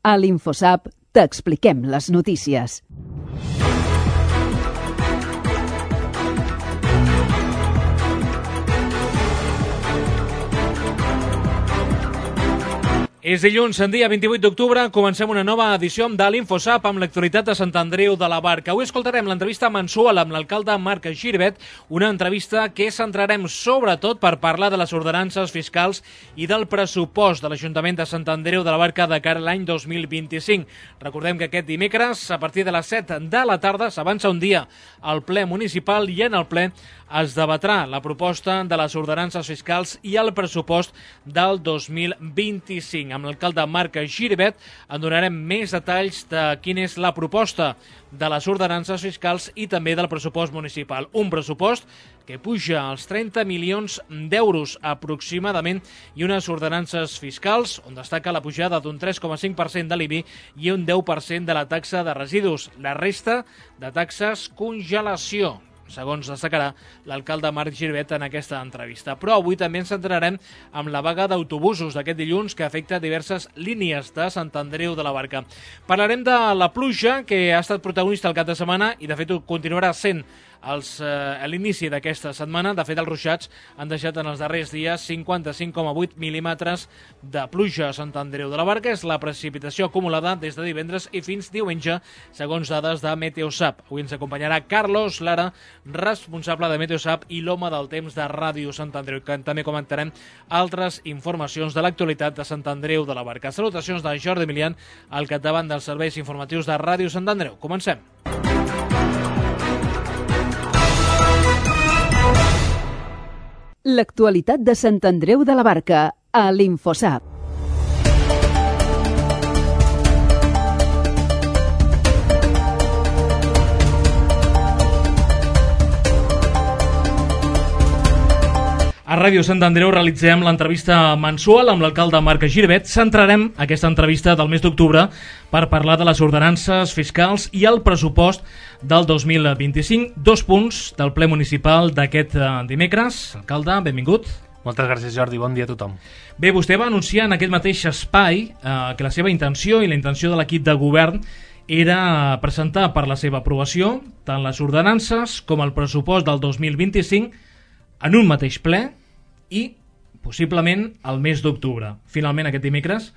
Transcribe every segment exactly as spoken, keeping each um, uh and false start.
A l'InfoSap t'expliquem les notícies. És dilluns, en dia vint-i-vuit d'octubre, comencem una nova edició de l'InfoSap amb l'actualitat de Sant Andreu de la Barca. Avui escoltarem l'entrevista mensual amb l'alcalde Marc Giribet, una entrevista que centrarem sobretot per parlar de les ordenances fiscals i del pressupost de l'Ajuntament de Sant Andreu de la Barca de cara a l'any dos mil vint-i-cinc. Recordem que aquest dimecres, a partir de les set de la tarda, s'avança un dia al ple municipal i en el ple es debatrà la proposta de les ordenances fiscals i el pressupost del dos mil vint-i-cinc. Amb l'alcalde Marc Giribet en donarem més detalls de quina és la proposta de les ordenances fiscals i també del pressupost municipal. Un pressupost que puja als trenta milions d'euros aproximadament i unes ordenances fiscals on destaca la pujada d'un tres coma cinc per cent de l'I B I i un deu per cent de la taxa de residus. La resta de taxes congelació, segons destacarà l'alcalde Marc Giribet en aquesta entrevista. Però avui també ens centrarem amb la vaga d'autobusos d'aquest dilluns que afecta diverses línies de Sant Andreu de la Barca. Parlarem de la pluja que ha estat protagonista el cap de setmana i de fet ho continuarà sent als, eh, a l'inici d'aquesta setmana. De fet, els ruixats han deixat en els darrers dies cinquanta-cinc coma vuit mil·límetres de pluja a Sant Andreu de la Barca. És la precipitació acumulada des de divendres i fins diumenge, segons dades de Meteosap. Avui ens acompanyarà Carlos Lara, responsable de Meteosap i l'home del temps de Ràdio Sant Andreu, que també comentarem altres informacions de l'actualitat de Sant Andreu de la Barca. Salutacions de Jordi Milian, al capdavant dels serveis informatius de Ràdio Sant Andreu. Comencem. L'actualitat de Sant Andreu de la Barca, a l'InfoSap. A Ràdio Sant Andreu realitzem l'entrevista mensual amb l'alcalde Marc Giribet. Centrarem aquesta entrevista del mes d'octubre per parlar de les ordenances fiscals i el pressupost del dos mil vint-i-cinc. Dos punts del ple municipal d'aquest dimecres. Alcalde, benvingut. Moltes gràcies, Jordi. Bon dia a tothom. Bé, vostè va anunciar en aquest mateix espai eh, que la seva intenció i la intenció de l'equip de govern era presentar per la seva aprovació tant les ordenances com el pressupost del dos mil vint-i-cinc en un mateix ple i possiblement al mes d'octubre. Finalment, aquest dimecres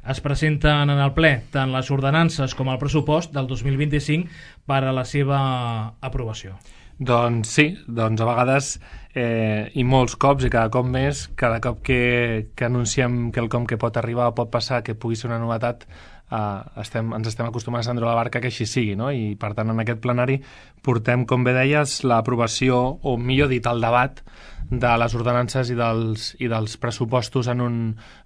es presenten en el ple tant les ordenances com el pressupost del dos mil vint-i-cinc per a la seva aprovació. Doncs sí, doncs a vegades eh, i molts cops i cada cop més, cada cop que, que anunciem quelcom que pot arribar o pot passar, que pugui ser una novetat, Uh, estem, ens estem acostumats a Sant Andreu de la Barca que així sigui, no? I per tant en aquest plenari portem, com bé deies, l'aprovació, o millor dit, el debat de les ordenances i dels, i dels pressupostos en un,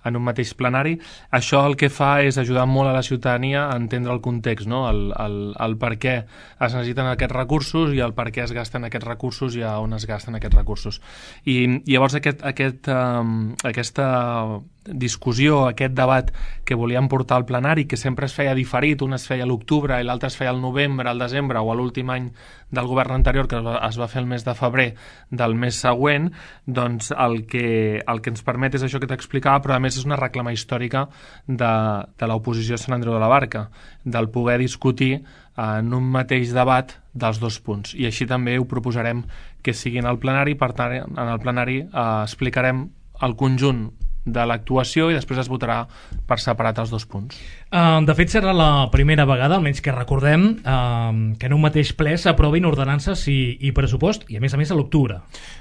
en un mateix plenari. Això el que fa és ajudar molt a la ciutadania a entendre el context, no? el, el, el per què es necessiten aquests recursos i el per què es gasten aquests recursos i a on es gasten aquests recursos. I, i llavors aquest, aquest, um, aquesta discussió, aquest debat que volíem portar al plenari, que sempre es feia diferit, un es feia a l'octubre i l'altre es feia al novembre, al desembre o a l'últim any del govern anterior, que es va fer el mes de febrer del mes següent, doncs el que, el que ens permet és això que t'explicava, però a més és una reclama històrica de, de l'oposició a Sant Andreu de la Barca, del poder discutir en un mateix debat dels dos punts. I així també ho proposarem que sigui en el plenari, per tant, en el plenari eh, explicarem el conjunt de l'actuació i després es votarà per separat els dos punts. Uh, de fet, serà la primera vegada, almenys que recordem, uh, que en un mateix ple s'aprovin ordenances i, i pressupost, i a més a més a l'octubre.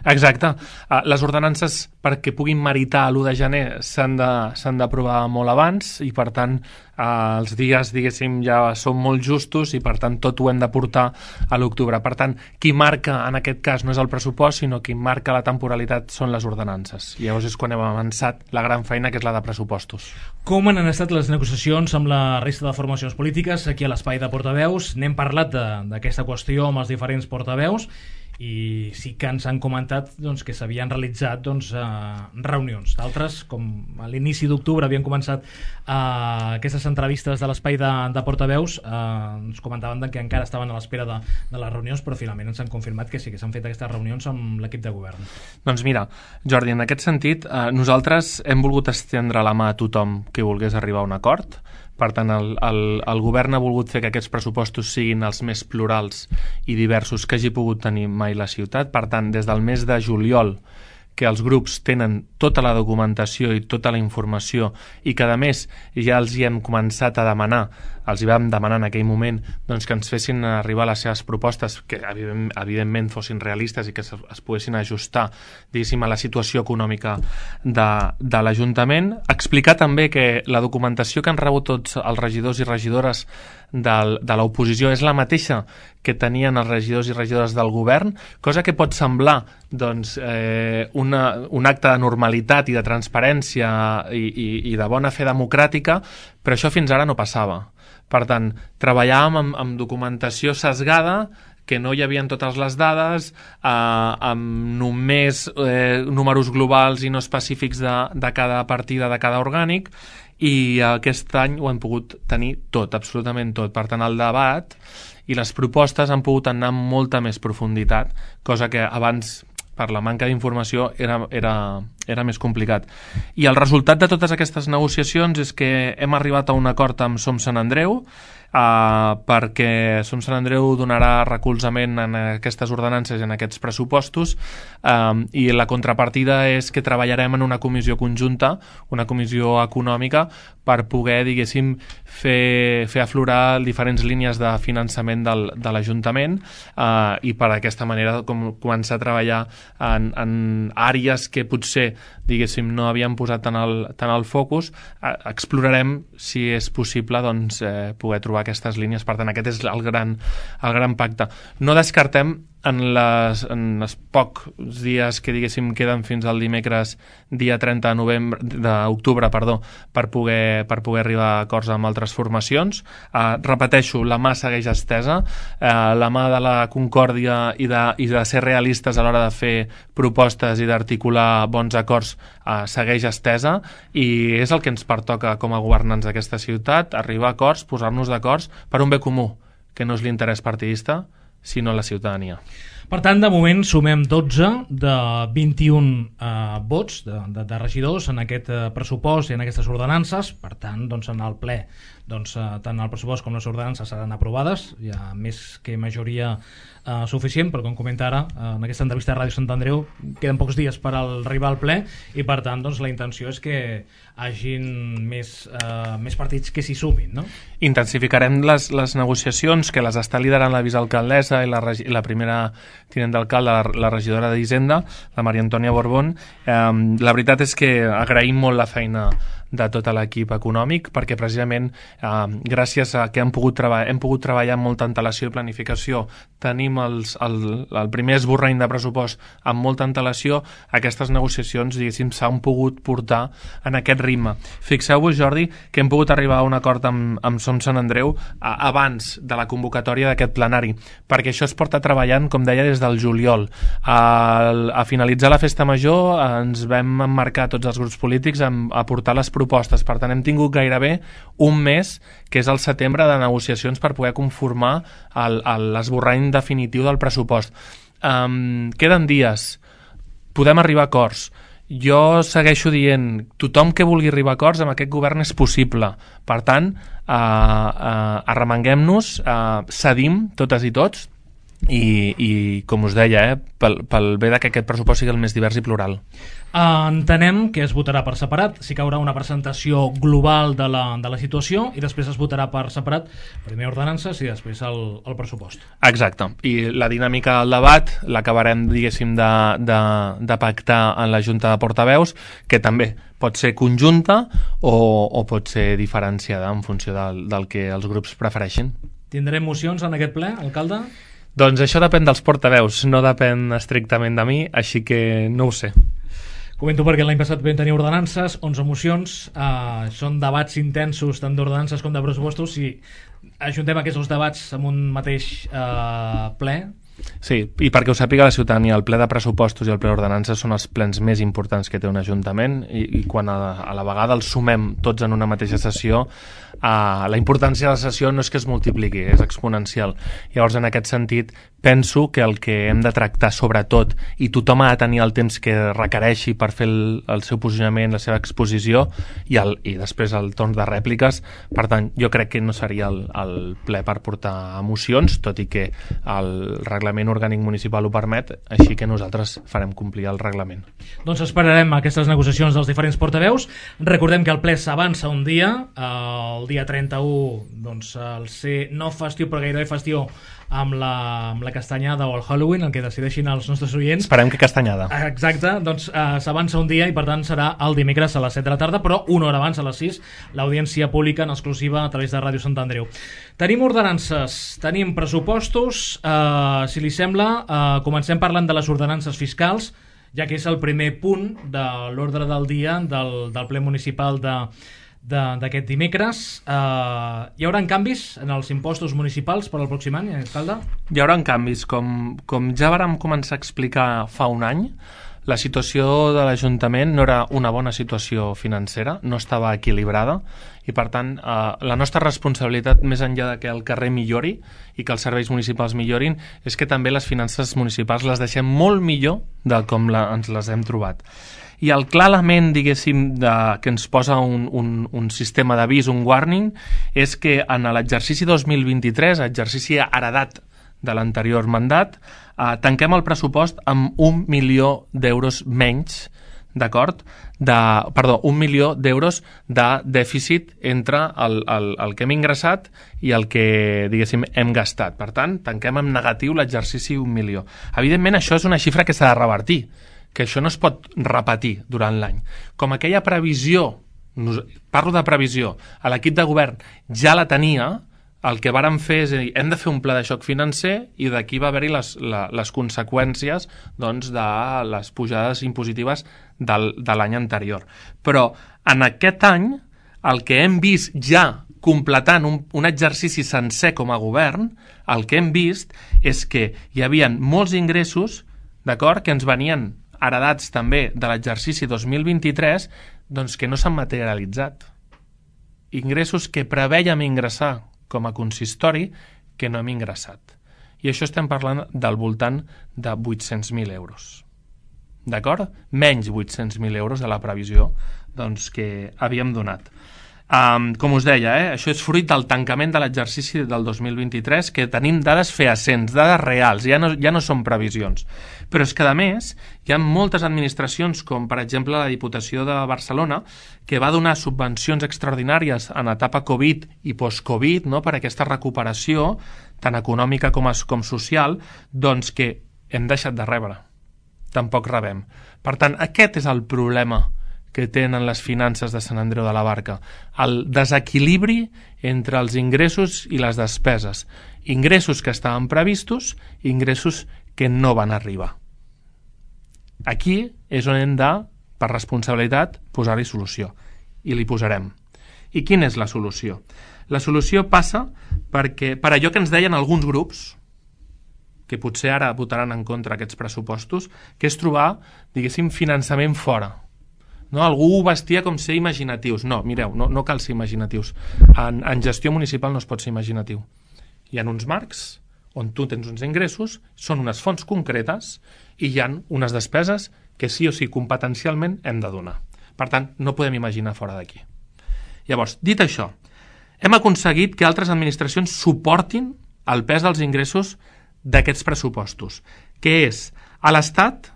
Exacte. Uh, les ordenances, perquè puguin meritar l'u de gener, s'han de, s'han d'aprovar molt abans i, per tant, uh, els dies, diguéssim, ja són molt justos i, per tant, tot ho hem de portar a l'octubre. Per tant, qui marca, en aquest cas, no és el pressupost, sinó qui marca la temporalitat són les ordenances. I llavors és quan hem avançat la gran feina, que és la de pressupostos. Com han estat les negociacions amb la resta de formacions polítiques aquí a l'espai de portaveus? N'hem parlat d'aquesta qüestió amb els diferents portaveus i sí que ens han comentat doncs, que s'havien realitzat doncs, eh, reunions. D'altres, com a l'inici d'octubre havien començat eh, aquestes entrevistes de l'espai de, de portaveus, eh, ens comentaven que encara estaven a l'espera de, de les reunions, però finalment ens han confirmat que sí que s'han fet aquestes reunions amb l'equip de govern. Doncs mira, Jordi, en aquest sentit, eh, nosaltres hem volgut estendre la mà a tothom que volgués arribar a un acord, Per tant, el, el, el govern ha volgut fer que aquests pressupostos siguin els més plurals i diversos que hagi pogut tenir mai la ciutat. Per tant, des del mes de juliol, que els grups tenen tota la documentació i tota la informació i que, a més, ja els hi hem començat a demanar, els hi vam demanar en aquell moment doncs, que ens fessin arribar les seves propostes, que evidentment fossin realistes i que es, es poguessin ajustar, diguéssim, a la situació econòmica de, de l'Ajuntament. Explicar també que la documentació que han rebut tots els regidors i regidores del, de l'oposició és la mateixa que tenien els regidors i regidores del govern, cosa que pot semblar doncs, eh, una, un acte de normalitat i de transparència i, i, i de bona fe democràtica, però això fins ara no passava. Per tant, treballàvem amb, amb documentació sesgada, que no hi havia totes les dades, eh, amb només eh, números globals i no específics de, de cada partida, de cada orgànic, i aquest any ho hem pogut tenir tot, absolutament tot. Per tant, el debat i les propostes han pogut anar amb molta més profunditat, cosa que abans, per la manca d'informació, era, era, era més complicat. I el resultat de totes aquestes negociacions és que hem arribat a un acord amb Som Sant Andreu, Uh, perquè Som Sant Andreu donarà recolzament en aquestes ordenances i en aquests pressupostos, um, i la contrapartida és que treballarem en una comissió conjunta, una comissió econòmica, per poder, diguéssim, fer, fer aflorar diferents línies de finançament del, de l'Ajuntament, uh, i per aquesta manera com, començar a treballar en, en àrees que potser, diguéssim, no havíem posat tant el, tant el focus. Uh, explorarem, si és possible, doncs, eh, poder trobar aquestes línies. Per tant, aquest és el gran, el gran pacte. No descartem en, les, en els pocs dies que, diguéssim, queden fins al dimecres dia trenta de novembre d'octubre, perdó, per poder, per poder arribar a acords amb altres formacions. Uh, repeteixo, la mà segueix estesa, uh, la mà de la concòrdia i de, i de ser realistes a l'hora de fer propostes i d'articular bons acords uh, segueix estesa, i és el que ens pertoca com a governants d'aquesta ciutat, arribar a acords, posar-nos d'acords per un bé comú, que no és l'interès partidista, sinó la ciutadania. Per tant, de moment sumem dotze de vint-i-un eh, vots de, de, de regidors en aquest eh, pressupost i en aquestes ordenances. Per tant, doncs, en el ple, doncs, eh, tant el pressupost com les ordenances seran aprovades. Hi ha més que majoria eh, suficient, però com comenta ara, eh, en aquesta entrevista a Ràdio Sant Andreu, queden pocs dies per al, arribar al ple, i per tant, doncs, la intenció és que hagin més, eh, més partits que s'hi sumin, no? Intensificarem les, les negociacions, que les està liderant la vicealcaldessa i la, i la primera tinent d'alcalde, la, la regidora d'Hisenda, la Maria Antònia Borbón. Eh, la veritat és que agraïm molt la feina de tot l'equip econòmic, perquè precisament eh, gràcies a que hem pogut, treba hem pogut treballar amb molta antelació i planificació, tenim els, el, el primer esborrany de pressupost amb molta antelació, aquestes negociacions, diguéssim, s'han pogut portar en aquest ritme. Fixeu-vos, Jordi, que hem pogut arribar a un acord amb, amb Som Sant Andreu a, abans de la convocatòria d'aquest plenari, perquè això es porta treballant, com deia, des del juliol. A, a finalitzar la festa major ens vam emmarcar tots els grups polítics a, a portar les propostes. Per tant, hem tingut gairebé un mes, que és el setembre, de negociacions per poder conformar l'esborrany definitiu del pressupost. Um, queden dies, podem arribar a acords. Jo segueixo dient, tothom que vulgui arribar a acords amb aquest govern és possible. Per tant, uh, uh, arremanguem-nos, uh, cedim totes i tots, i, i com us deia, eh, pel, pel bé que aquest pressupost sigui el més divers i plural. Uh, entenem que es votarà per separat, sí que haurà una presentació global de la, de la situació, i després es votarà per separat, primer ordenances i després el, el pressupost. Exacte, i la dinàmica del debat l'acabarem, diguéssim, de, de, de pactar en la Junta de Portaveus, que també pot ser conjunta o, o pot ser diferenciada en funció del, del que els grups prefereixin. Tindrem mocions en aquest ple, alcalde? Doncs això depèn dels portaveus, no depèn estrictament de mi, així que no ho sé. Comento perquè l'any passat vam tenir ordenances, onze mocions, eh, són debats intensos tant d'ordenances com de pressupostos. Si ajuntem aquests debats en un mateix eh, ple... Sí, i perquè ho sàpiga la ciutadania, el ple de pressupostos i el ple d'ordenances són els plens més importants que té un ajuntament, i, i quan a, a la vegada els sumem tots en una mateixa sessió, Uh, la importància de la sessió no és que es multipliqui, és exponencial. Llavors, en aquest sentit, penso que el que hem de tractar sobretot, i tothom ha de tenir el temps que requereixi per fer el, el seu posicionament, la seva exposició, i, el, i després el torn de rèpliques. Per tant, jo crec que no seria el, el ple per portar mocions, tot i que el reglament orgànic municipal ho permet, així que nosaltres farem complir el reglament. Doncs esperarem aquestes negociacions dels diferents portaveus. Recordem que el ple s'avança un dia, el dia trenta-u, doncs, el ser no festiu però gairebé festiu amb la, amb la castanyada o el Halloween, el que decideixin els nostres oients. Esperem que castanyada. Exacte, doncs eh, s'avança un dia i per tant serà el dimecres a les set de la tarda, però una hora abans, a les sis, l'audiència pública en exclusiva a través de Ràdio Sant Andreu. Tenim ordenances, tenim pressupostos, eh, si li sembla, eh, comencem parlant de les ordenances fiscals, ja que és el primer punt de l'ordre del dia del, del ple municipal de d'aquest dimecres. Uh, hi haurà canvis en els impostos municipals per al pròxim any, alcalde? Hi haurà canvis. Com, com ja vàrem començar a explicar fa un any, la situació de l'Ajuntament no era una bona situació financera, no estava equilibrada, i per tant eh, la nostra responsabilitat, més enllà de que el carrer millori i que els serveis municipals millorin, és que també les finances municipals les deixem molt millor de com la, ens les hem trobat. I el clar element, diguéssim, de, que ens posa un, un, un sistema d'avís, un warning, és que en l'exercici dos mil vint-i-tres, exercici heredat de l'anterior mandat, eh, tanquem el pressupost amb un milió d'euros menys, d'acord? De, perdó, un milió d'euros de dèficit entre el, el, el que hem ingressat i el que, diguéssim, hem gastat. Per tant, tanquem en negatiu l'exercici un milió. Evidentment, això és una xifra que s'ha de revertir, que això no es pot repetir durant l'any. Com aquella previsió, parlo de previsió, a l'equip de govern ja la tenia, el que vàrem fer és dir, hem de fer un pla de xoc financer i d'aquí va haver-hi les, la, les conseqüències doncs, de les pujades impositives del, de l'any anterior. Però en aquest any el que hem vist ja completant un, un exercici sencer com a govern, el que hem vist és que hi havia molts ingressos, d'acord, que ens venien heredats també de l'exercici dos mil vint-i-tres, doncs que no s'han materialitzat. Ingressos que prevèiem ingressar com a consistori que no hem ingressat. I això estem parlant del voltant de vuit-cents mil euros. D'acord? Menys vuit-cents mil euros de la previsió doncs, que havíem donat. Um, com us deia, eh, això és fruit del tancament de l'exercici del dos mil vint-i-tres, que tenim dades fehacients, dades reals, ja no, ja no són previsions. Però és que, a més, hi ha moltes administracions, com per exemple la Diputació de Barcelona, que va donar subvencions extraordinàries en etapa Covid i post-Covid, no?, per aquesta recuperació, tant econòmica com, com social, doncs que hem deixat de rebre. Tampoc rebem. Per tant, aquest és el problema que tenen les finances de Sant Andreu de la Barca, el desequilibri entre els ingressos i les despeses. Ingressos que estaven previstos i ingressos que no van arribar. Aquí és on hem de, per responsabilitat, posar-hi solució. I li posarem. I quina és la solució? La solució passa perquè, per allò que ens deien alguns grups, que potser ara votaran en contra aquests pressupostos, que és trobar, diguéssim, finançament fora. No, algú ho vestia com ser imaginatius. No, mireu, no, no cal ser imaginatius. En, en gestió municipal no es pot ser imaginatiu. Hi ha uns marcs on tu tens uns ingressos, són unes fonts concretes i hi ha unes despeses que sí o sí competencialment hem de donar. Per tant, no podem imaginar fora d'aquí. Llavors, dit això, hem aconseguit que altres administracions suportin el pes dels ingressos d'aquests pressupostos, que és a l'Estat.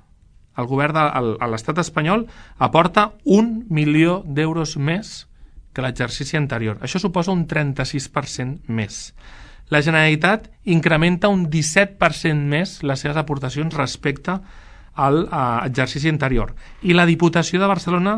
El govern de l'estat espanyol aporta un milió d'euros més que l'exercici anterior. Això suposa un trenta-sis per cent més. La Generalitat incrementa un disset per cent més les seves aportacions respecte a l'exercici anterior. I la Diputació de Barcelona,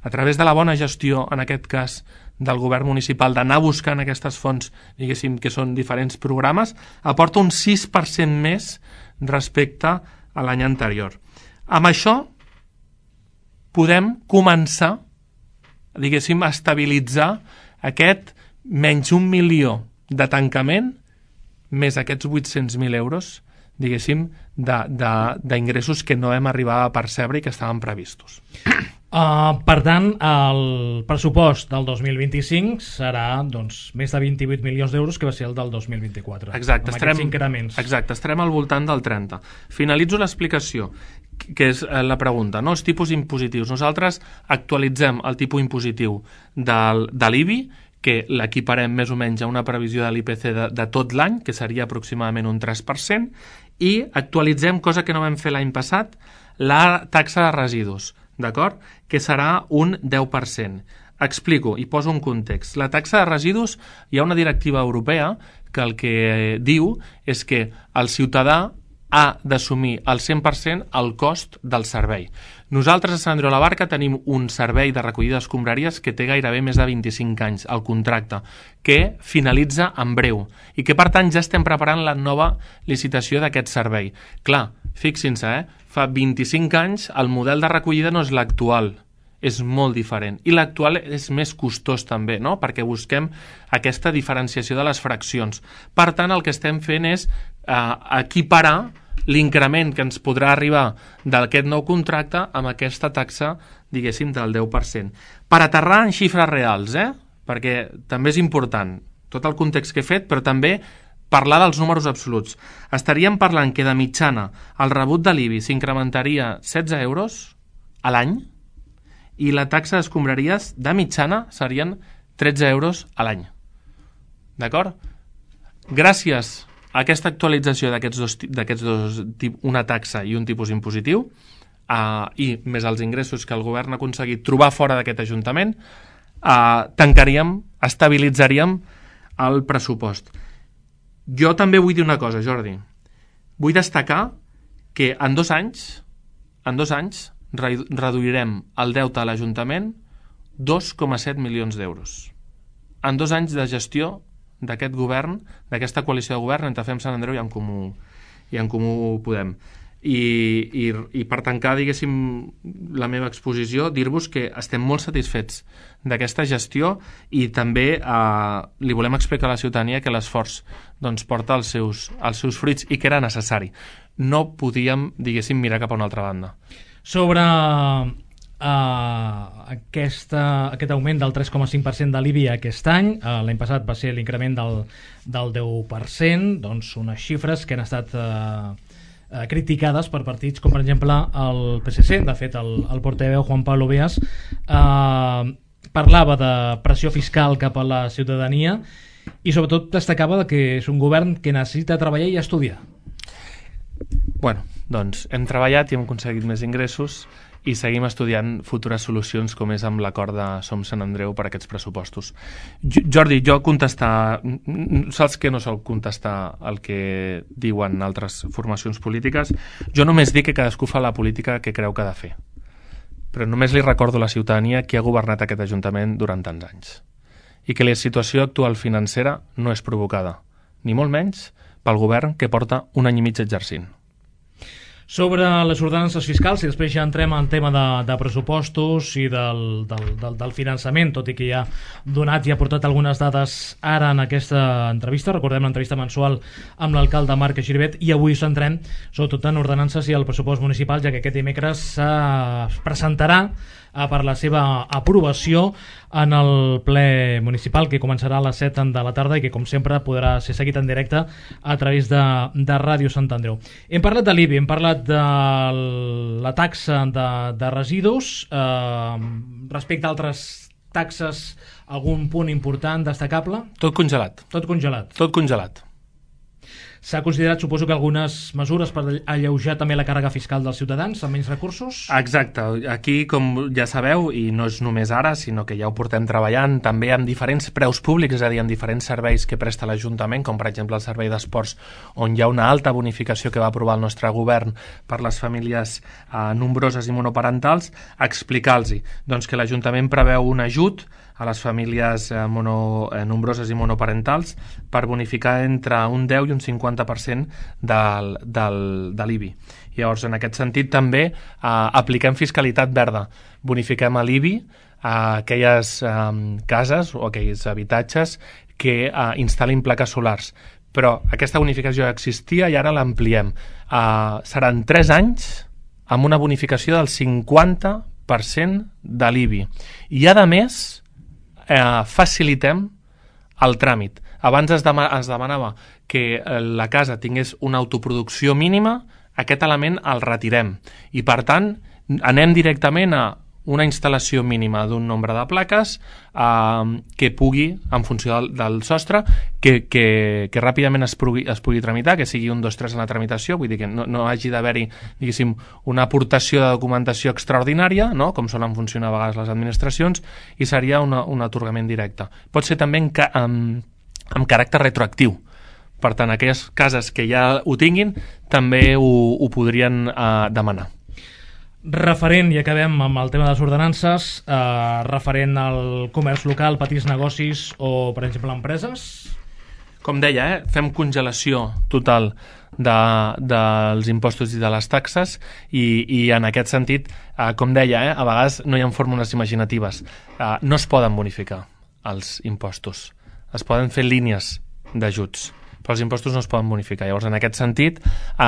a través de la bona gestió, en aquest cas, del govern municipal, d'anar buscant aquestes fonts, diguéssim, que són diferents programes, aporta un sis per cent més respecte a l'any anterior. Amb això podem començar, diguéssim, a estabilitzar aquest menys un milió de tancament més aquests vuit-cents mil euros, diguéssim, d'ingressos que no hem arribat a percebre i que estaven previstos. Uh, per tant, el pressupost del dos mil vint-i-cinc serà doncs, més de vint-i-vuit milions d'euros, que va ser el del dos mil vint-i-quatre. Exacte, amb estarem, aquests increments. Exacte, estarem al voltant del trenta. Finalitzo l'explicació, que és la pregunta, no? Els tipus impositius. Nosaltres actualitzem el tipus impositiu del, de l'I B I, que l'equiparem més o menys a una previsió de l'I P C de, de tot l'any, que seria aproximadament un tres per cent, i actualitzem, cosa que no vam fer l'any passat, la taxa de residus, d'acord? Que serà un deu per cent. Explico i poso un context. La taxa de residus, hi ha una directiva europea que el que diu és que el ciutadà ha d'assumir al cent per cent el cost del servei. Nosaltres a Sant Andreu de la Barca tenim un servei de recollida d'escombraries que té gairebé més de vint-i-cinc anys, el contracte, que finalitza en breu i que per tant ja estem preparant la nova licitació d'aquest servei. Clar, fixin-se, eh? Fa vint-i-cinc anys el model de recollida no és l'actual, és molt diferent. I l'actual és més costós també, no? Perquè busquem aquesta diferenciació de les fraccions. Per tant, el que estem fent és eh, equiparar l'increment que ens podrà arribar d'aquest nou contracte amb aquesta taxa, diguéssim, del deu per cent. Per aterrar en xifres reals, eh? Perquè també és important tot el context que he fet, però també parlar dels números absoluts. Estaríem parlant que de mitjana el rebut de l'I B I s'incrementaria setze euros a l'any i la taxa d'escombraries de mitjana serien tretze euros a l'any. D'acord? Gràcies a aquesta actualització d'aquests dos, d'aquests dos, una taxa i un tipus impositiu, eh, i més els ingressos que el govern ha aconseguit trobar fora d'aquest Ajuntament, eh, tancaríem, estabilitzaríem el pressupost. Jo també vull dir una cosa, Jordi. Vull destacar que en dos anys, en dos anys reduirem el deute a l'Ajuntament dos coma set milions d'euros. En dos anys de gestió d'aquest govern, d'aquesta coalició de govern entre Fem Sant Andreu i en Comú, i en Comú Podem. I, i, i per tancar, diguéssim, la meva exposició, dir-vos que estem molt satisfets d'aquesta gestió i també eh, li volem explicar a la ciutadania que l'esforç doncs, porta els seus, els seus fruits i que era necessari. No podíem, diguéssim, mirar cap a una altra banda. Sobre Uh, aquesta, aquest augment del tres coma cinc per cent de l'I B I aquest any, uh, l'any passat va ser l'increment del, del deu per cent, doncs unes xifres que han estat uh, uh, criticades per partits com per exemple el P S C. De fet, el, el portaveu Juan Pablo Beas uh, parlava de pressió fiscal cap a la ciutadania i sobretot destacava que és un govern que necessita treballar i estudiar. Bueno, doncs hem treballat i hem aconseguit més ingressos i seguim estudiant futures solucions com és amb l'acord de Som Sant Andreu per a aquests pressupostos. Jordi, jo contestar, saps que no sol contestar el que diuen altres formacions polítiques, jo només dic que cadascú fa la política que creu que ha de fer. Però només li recordo a la ciutadania qui ha governat aquest Ajuntament durant tants anys i que la situació actual financera no és provocada, ni molt menys pel govern que porta un any i mig exercint. Sobre les ordenances fiscals, i després ja entrem en tema de, de pressupostos i del, del, del, del finançament, tot i que ja ha donat i ha portat algunes dades ara en aquesta entrevista. Recordem l'entrevista mensual amb l'alcalde Marc Giribet, i avui centrem sobretot en ordenances i el pressupost municipal, ja que aquest dimecres es presentarà per la seva aprovació en el ple municipal, que començarà a les set de la tarda i que, com sempre, podrà ser seguit en directe a través de, de Ràdio Sant Andreu. Hem parlat de l'I B I, hem parlat de la taxa de, de residus. Eh, respecte a altres taxes, algun punt important, destacable? Tot congelat. Tot congelat. Tot congelat. S'ha considerat, suposo, que algunes mesures per alleujar també la càrrega fiscal dels ciutadans amb menys recursos? Exacte. Aquí, com ja sabeu, i no és només ara, sinó que ja ho portem treballant també amb diferents preus públics, és a dir, amb diferents serveis que presta l'Ajuntament, com per exemple el servei d'esports, on hi ha una alta bonificació que va aprovar el nostre govern per les famílies eh, nombroses i monoparentals, explicar-los doncs, que l'Ajuntament preveu un ajut a les famílies eh, mono, eh, nombroses i monoparentals per bonificar entre un deu i un cinquanta per cent del, del, de l'I B I. Llavors, en aquest sentit, també eh, apliquem fiscalitat verda. Bonifiquem a l'I B I a aquelles eh, cases o aquells habitatges que eh, instal·lin plaques solars. Però aquesta bonificació existia i ara l'ampliem. Eh, seran tres anys amb una bonificació del cinquanta per cent de l'I B I. I, a més, eh, facilitem el tràmit. Abans es, dema es demanava que la casa tingués una autoproducció mínima, aquest element el retirem. I, per tant, anem directament a una instal·lació mínima d'un nombre de plaques eh, que pugui, en funció del, del sostre, que, que, que ràpidament es pugui, es pugui tramitar, que sigui un, dos, tres en la tramitació, vull dir que no, no hagi d'haver-hi, diguéssim, una aportació de documentació extraordinària, no?, com solen funcionar a vegades les administracions, i seria una, un atorgament directe. Pot ser també en, ca amb, amb caràcter retroactiu. Per tant, aquelles cases que ja ho tinguin també ho, ho podrien eh, demanar. Referent, i acabem amb el tema de les ordenances, eh, referent al comerç local, petits negocis o, per exemple, empreses? Com deia, eh, fem congelació total de, dels impostos i de les taxes i, i en aquest sentit, eh, com deia, eh, a vegades no hi ha fórmules imaginatives. Eh, no es poden bonificar els impostos. Es poden fer línies d'ajuts, però els impostos no es poden bonificar. Llavors, en aquest sentit, eh,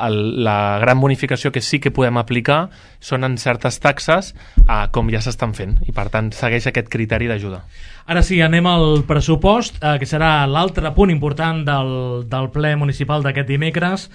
el, la gran bonificació que sí que podem aplicar són en certes taxes, eh, com ja s'estan fent, i per tant segueix aquest criteri d'ajuda. Ara sí, anem al pressupost, eh, que serà l'altre punt important del, del ple municipal d'aquest dimecres.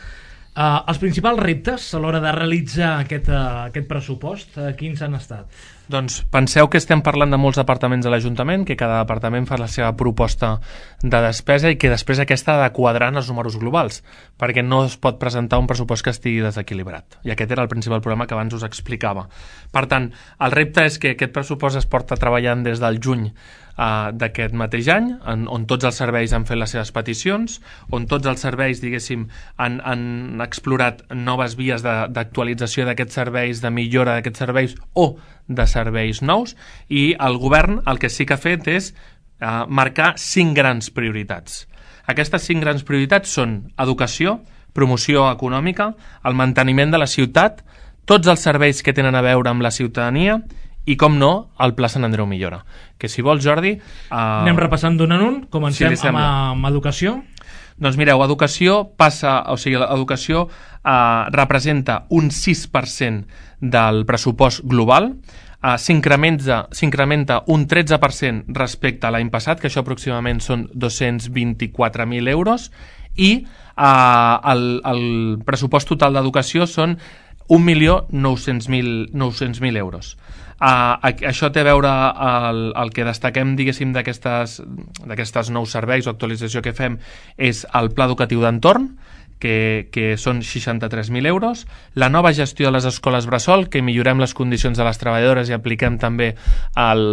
Eh, els principals reptes a l'hora de realitzar aquest, eh, aquest pressupost, eh, quins han estat? Doncs penseu que estem parlant de molts departaments de l'Ajuntament, que cada departament fa la seva proposta de despesa i que després aquesta ha de quadrar en els números globals, perquè no es pot presentar un pressupost que estigui desequilibrat. I aquest era el principal problema que abans us explicava. Per tant, el repte és que aquest pressupost es porta treballant des del juny Uh, d'aquest mateix any, en, on tots els serveis han fet les seves peticions, on tots els serveis, diguéssim, han, han explorat noves vies d'actualització d'aquests serveis, de millora d'aquests serveis o de serveis nous, i el govern el que sí que ha fet és uh, marcar cinc grans prioritats. Aquestes cinc grans prioritats són educació, promoció econòmica, el manteniment de la ciutat, tots els serveis que tenen a veure amb la ciutadania i, com no, el Pla Sant Andreu Millora. Que si vols, Jordi... Uh... Anem repassant d'un en un. Comencem si amb, amb educació. Doncs mireu, educació passa... O sigui, l'educació uh, representa un sis per cent del pressupost global, uh, s'incrementa un tretze per cent respecte a l'any passat, que això aproximadament són dos-cents vint-i-quatre mil euros, i uh, el, el pressupost total d'educació són un milió nou-cents mil euros. Uh, això té a veure el, el que destaquem, diguéssim, d'aquestes nous serveis o actualització que fem és el pla educatiu d'entorn, que, que són seixanta-tres mil euros, la nova gestió de les escoles bressol, que millorem les condicions de les treballadores i apliquem també el,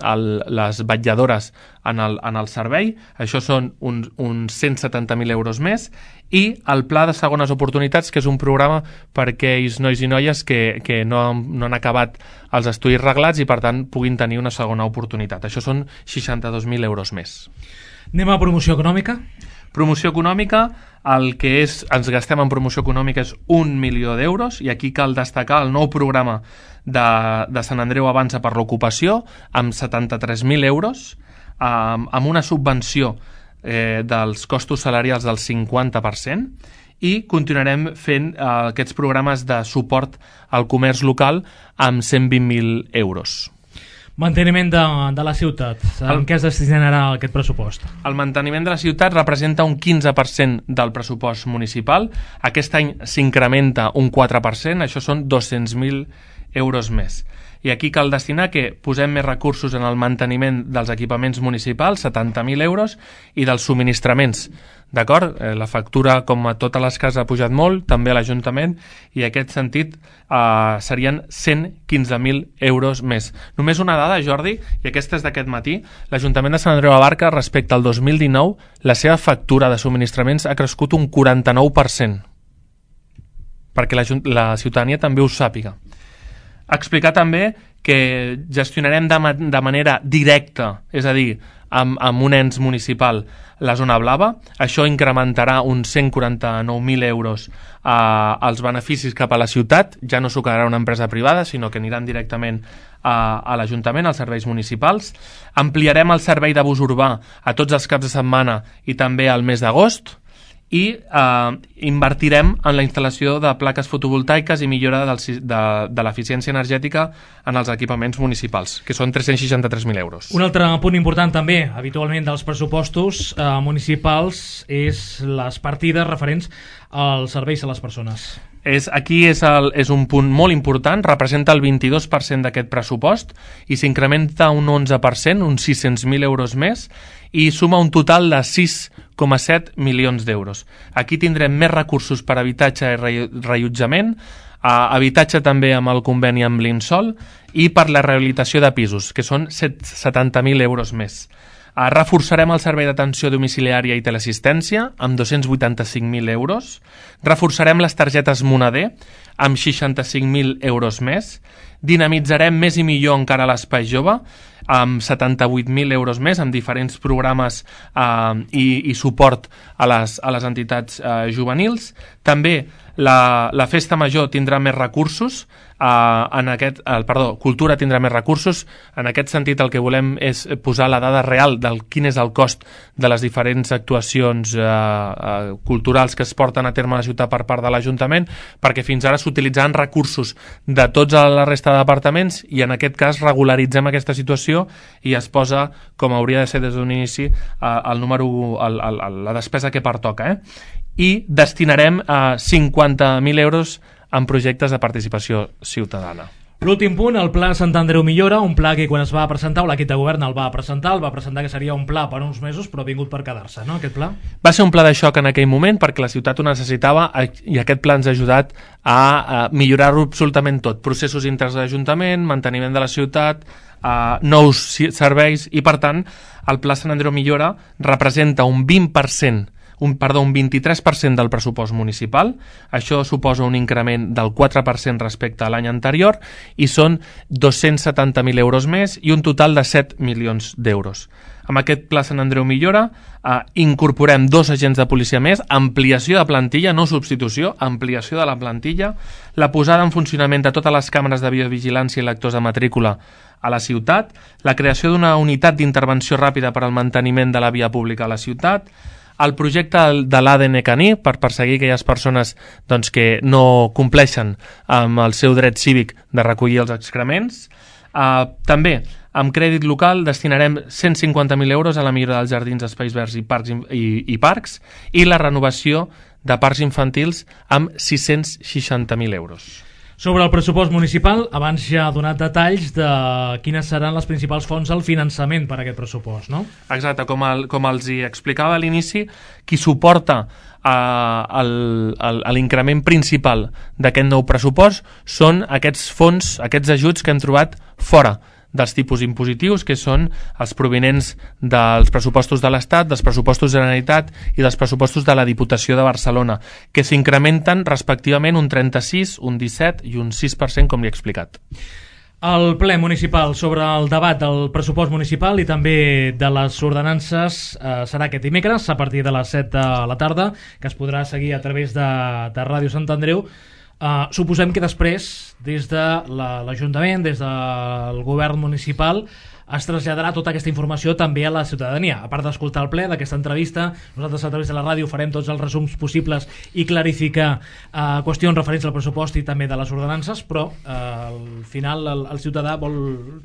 el, les vetlladores en el, en el servei, això són uns, uns cent setanta mil euros més, i el pla de segones oportunitats, que és un programa per a aquells nois i noies que, que no, no han acabat els estudis reglats i per tant puguin tenir una segona oportunitat. Això són seixanta-dos mil euros més. Anem a promoció econòmica. Promoció econòmica, el que és, ens gastem en promoció econòmica és un milió d'euros, i aquí cal destacar el nou programa de, de Sant Andreu Avança per l'ocupació amb setanta-tres mil euros, eh, amb una subvenció eh, dels costos salarials del cinquanta per cent, i continuarem fent eh, aquests programes de suport al comerç local amb cent vint mil euros. Manteniment de, de la ciutat. En què es destinarà aquest pressupost? El manteniment de la ciutat representa un quinze per cent del pressupost municipal. Aquest any s'incrementa un quatre per cent, això són dos-cents mil euros més. I aquí cal destinar que posem més recursos en el manteniment dels equipaments municipals, setanta mil euros, i dels subministraments. D'acord? Eh, la factura, com a totes les cases, ha pujat molt, també a l'Ajuntament, i en aquest sentit eh, serien cent quinze mil euros més. Només una dada, Jordi, i aquesta és d'aquest matí, l'Ajuntament de Sant Andreu de la Barca, respecte al dos mil dinou, la seva factura de subministraments ha crescut un quaranta-nou per cent, perquè la, la ciutadania també ho sàpiga. Explicar també que gestionarem de, ma de manera directa, és a dir, amb, amb un ens municipal, la zona blava. Això incrementarà uns cent quaranta-nou mil euros eh, els beneficis cap a la ciutat. Ja no s'ho quedarà una empresa privada, sinó que aniran directament a, a l'Ajuntament, als serveis municipals. Ampliarem el servei de bus urbà a tots els caps de setmana i també al mes d'agost. i eh, invertirem en la instal·lació de plaques fotovoltaiques i millora del, de, de l'eficiència energètica en els equipaments municipals, que són tres-cents seixanta-tres mil euros. Un altre punt important també, habitualment dels pressupostos eh, municipals, és les partides referents als serveis a les persones. És, aquí és, el, és un punt molt important, representa el vint-i-dos per cent d'aquest pressupost i s'incrementa un onze per cent, uns sis-cents mil euros més, i suma un total de sis coma set milions d'euros. Aquí tindrem més recursos per habitatge i reallotjament, habitatge també amb el conveni amb l'Insol i per la rehabilitació de pisos, que són setanta mil euros més. Uh, reforçarem el servei d'atenció domiciliària i teleassistència amb dos-cents vuitanta-cinc mil euros. Reforçarem les targetes Moneder amb seixanta-cinc mil euros més. Dinamitzarem més i millor encara l'espai jove amb setanta-vuit mil euros més, amb diferents programes eh, i, i suport a les, a les entitats eh, juvenils. També la, la Festa Major tindrà més recursos, eh, en aquest, eh, perdó, Cultura tindrà més recursos. En aquest sentit el que volem és posar la dada real del quin és el cost de les diferents actuacions eh, eh, culturals que es porten a terme a la ciutat per part de l'Ajuntament, perquè fins ara s'utilitzaven recursos de tota la resta de departaments i en aquest cas regularitzem aquesta situació i es posa, com hauria de ser des d'un inici, el número, el, el, la despesa que pertoca. Eh? I destinarem eh, cinquanta mil euros en projectes de participació ciutadana. L'últim punt, el Pla Sant Andreu Millora, un pla que quan es va presentar, o l'equip de govern el va presentar, el va presentar que seria un pla per uns mesos, però ha vingut per quedar-se, no, aquest pla? Va ser un pla de xoc en aquell moment perquè la ciutat ho necessitava i aquest pla ens ha ajudat a, a millorar-ho absolutament tot. Processos interns de l'Ajuntament, manteniment de la ciutat, a nous serveis i, per tant, el Pla Sant Andreu Millora representa un vint per cent Un, perdó, un vint-i-tres per cent del pressupost municipal. Això suposa un increment del quatre per cent respecte a l'any anterior i són dos-cents setanta mil euros més i un total de set milions d'euros. Amb aquest Pla Sant Andreu Millora eh, incorporem dos agents de policia més, ampliació de plantilla, no substitució, ampliació de la plantilla, la posada en funcionament de totes les càmeres de videovigilància i lectors de matrícula a la ciutat, la creació d'una unitat d'intervenció ràpida per al manteniment de la via pública a la ciutat, el projecte de l'A D N caní per perseguir aquelles persones doncs, que no compleixen amb el seu dret cívic de recollir els excrements. Uh, també, amb crèdit local, destinarem cent cinquanta mil euros a la millora dels jardins, espais verds i parcs, i, i parcs i la renovació de parcs infantils amb sis-cents seixanta mil euros. Sobre el pressupost municipal, abans ja ha donat detalls de quines seran les principals fonts del finançament per a aquest pressupost, no? Exacte, com, el, com els hi explicava a l'inici, qui suporta uh, l'increment principal d'aquest nou pressupost són aquests fons, aquests ajuts que hem trobat fora dels tipus impositius, que són els provinents dels pressupostos de l'Estat, dels pressupostos de la Generalitat i dels pressupostos de la Diputació de Barcelona, que s'incrementen respectivament un trenta-sis, un disset i un sis per cent, com li he explicat. El ple municipal sobre el debat del pressupost municipal i també de les ordenances eh, serà aquest dimecres a partir de les set de la tarda, que es podrà seguir a través de, de Ràdio Sant Andreu. Uh, suposem que després, des de l'Ajuntament, des del govern municipal, es traslladarà tota aquesta informació també a la ciutadania. A part d'escoltar el ple d'aquesta entrevista, nosaltres a través de la ràdio farem tots els resums possibles i clarificar uh, qüestions referents al pressupost i també de les ordenances, però uh, al final el, el ciutadà vol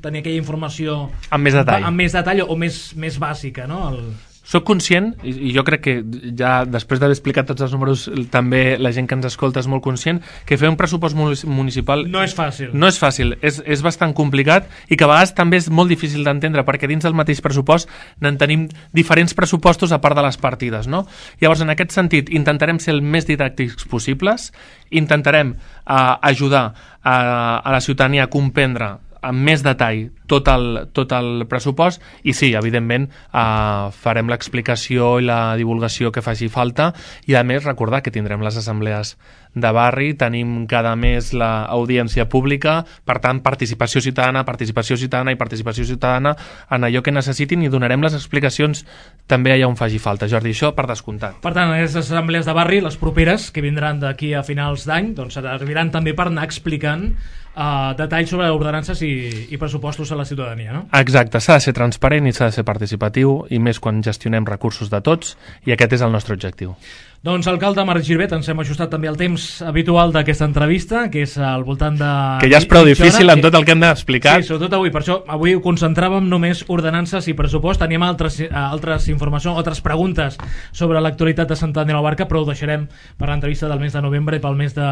tenir aquella informació amb més detall, amb més detall o més, més bàsica, no? El... Soc conscient, i jo crec que ja després d'haver explicat tots els números també la gent que ens escolta és molt conscient, que fer un pressupost municipal no és fàcil, no és, fàcil és, és bastant complicat i que a vegades també és molt difícil d'entendre perquè dins del mateix pressupost n'en tenim diferents pressupostos a part de les partides, no? Llavors, en aquest sentit, intentarem ser el més didàctics possibles, intentarem eh, ajudar a, a la ciutadania a comprendre amb més detall tot el, tot el pressupost i sí, evidentment eh, farem l'explicació i la divulgació que faci falta i a més recordar que tindrem les assemblees de barri, tenim cada mes l'audiència pública, per tant participació ciutadana, participació ciutadana i participació ciutadana en allò que necessitin i donarem les explicacions també allà on faci falta. Jordi, això per descomptat. Per tant, aquestes assemblees de barri, les properes que vindran d'aquí a finals d'any, doncs serviran també per anar explicant Uh, detalls sobre ordenances i, i pressupostos a la ciutadania, no? Exacte, s'ha de ser transparent i s'ha de ser participatiu i més quan gestionem recursos de tots i aquest és el nostre objectiu. Doncs, alcalde Marc Girbet, ens hem ajustat també al temps habitual d'aquesta entrevista, que és al voltant de... Que ja és prou difícil amb tot el que hem d'explicar. Sí, sobretot avui. Per això avui ho concentràvem només ordenances i pressupost. Teníem altres, altres informacions, altres preguntes sobre l'actualitat de Sant Andreu de la Barca, però ho deixarem per l'entrevista del mes de novembre i pel mes de,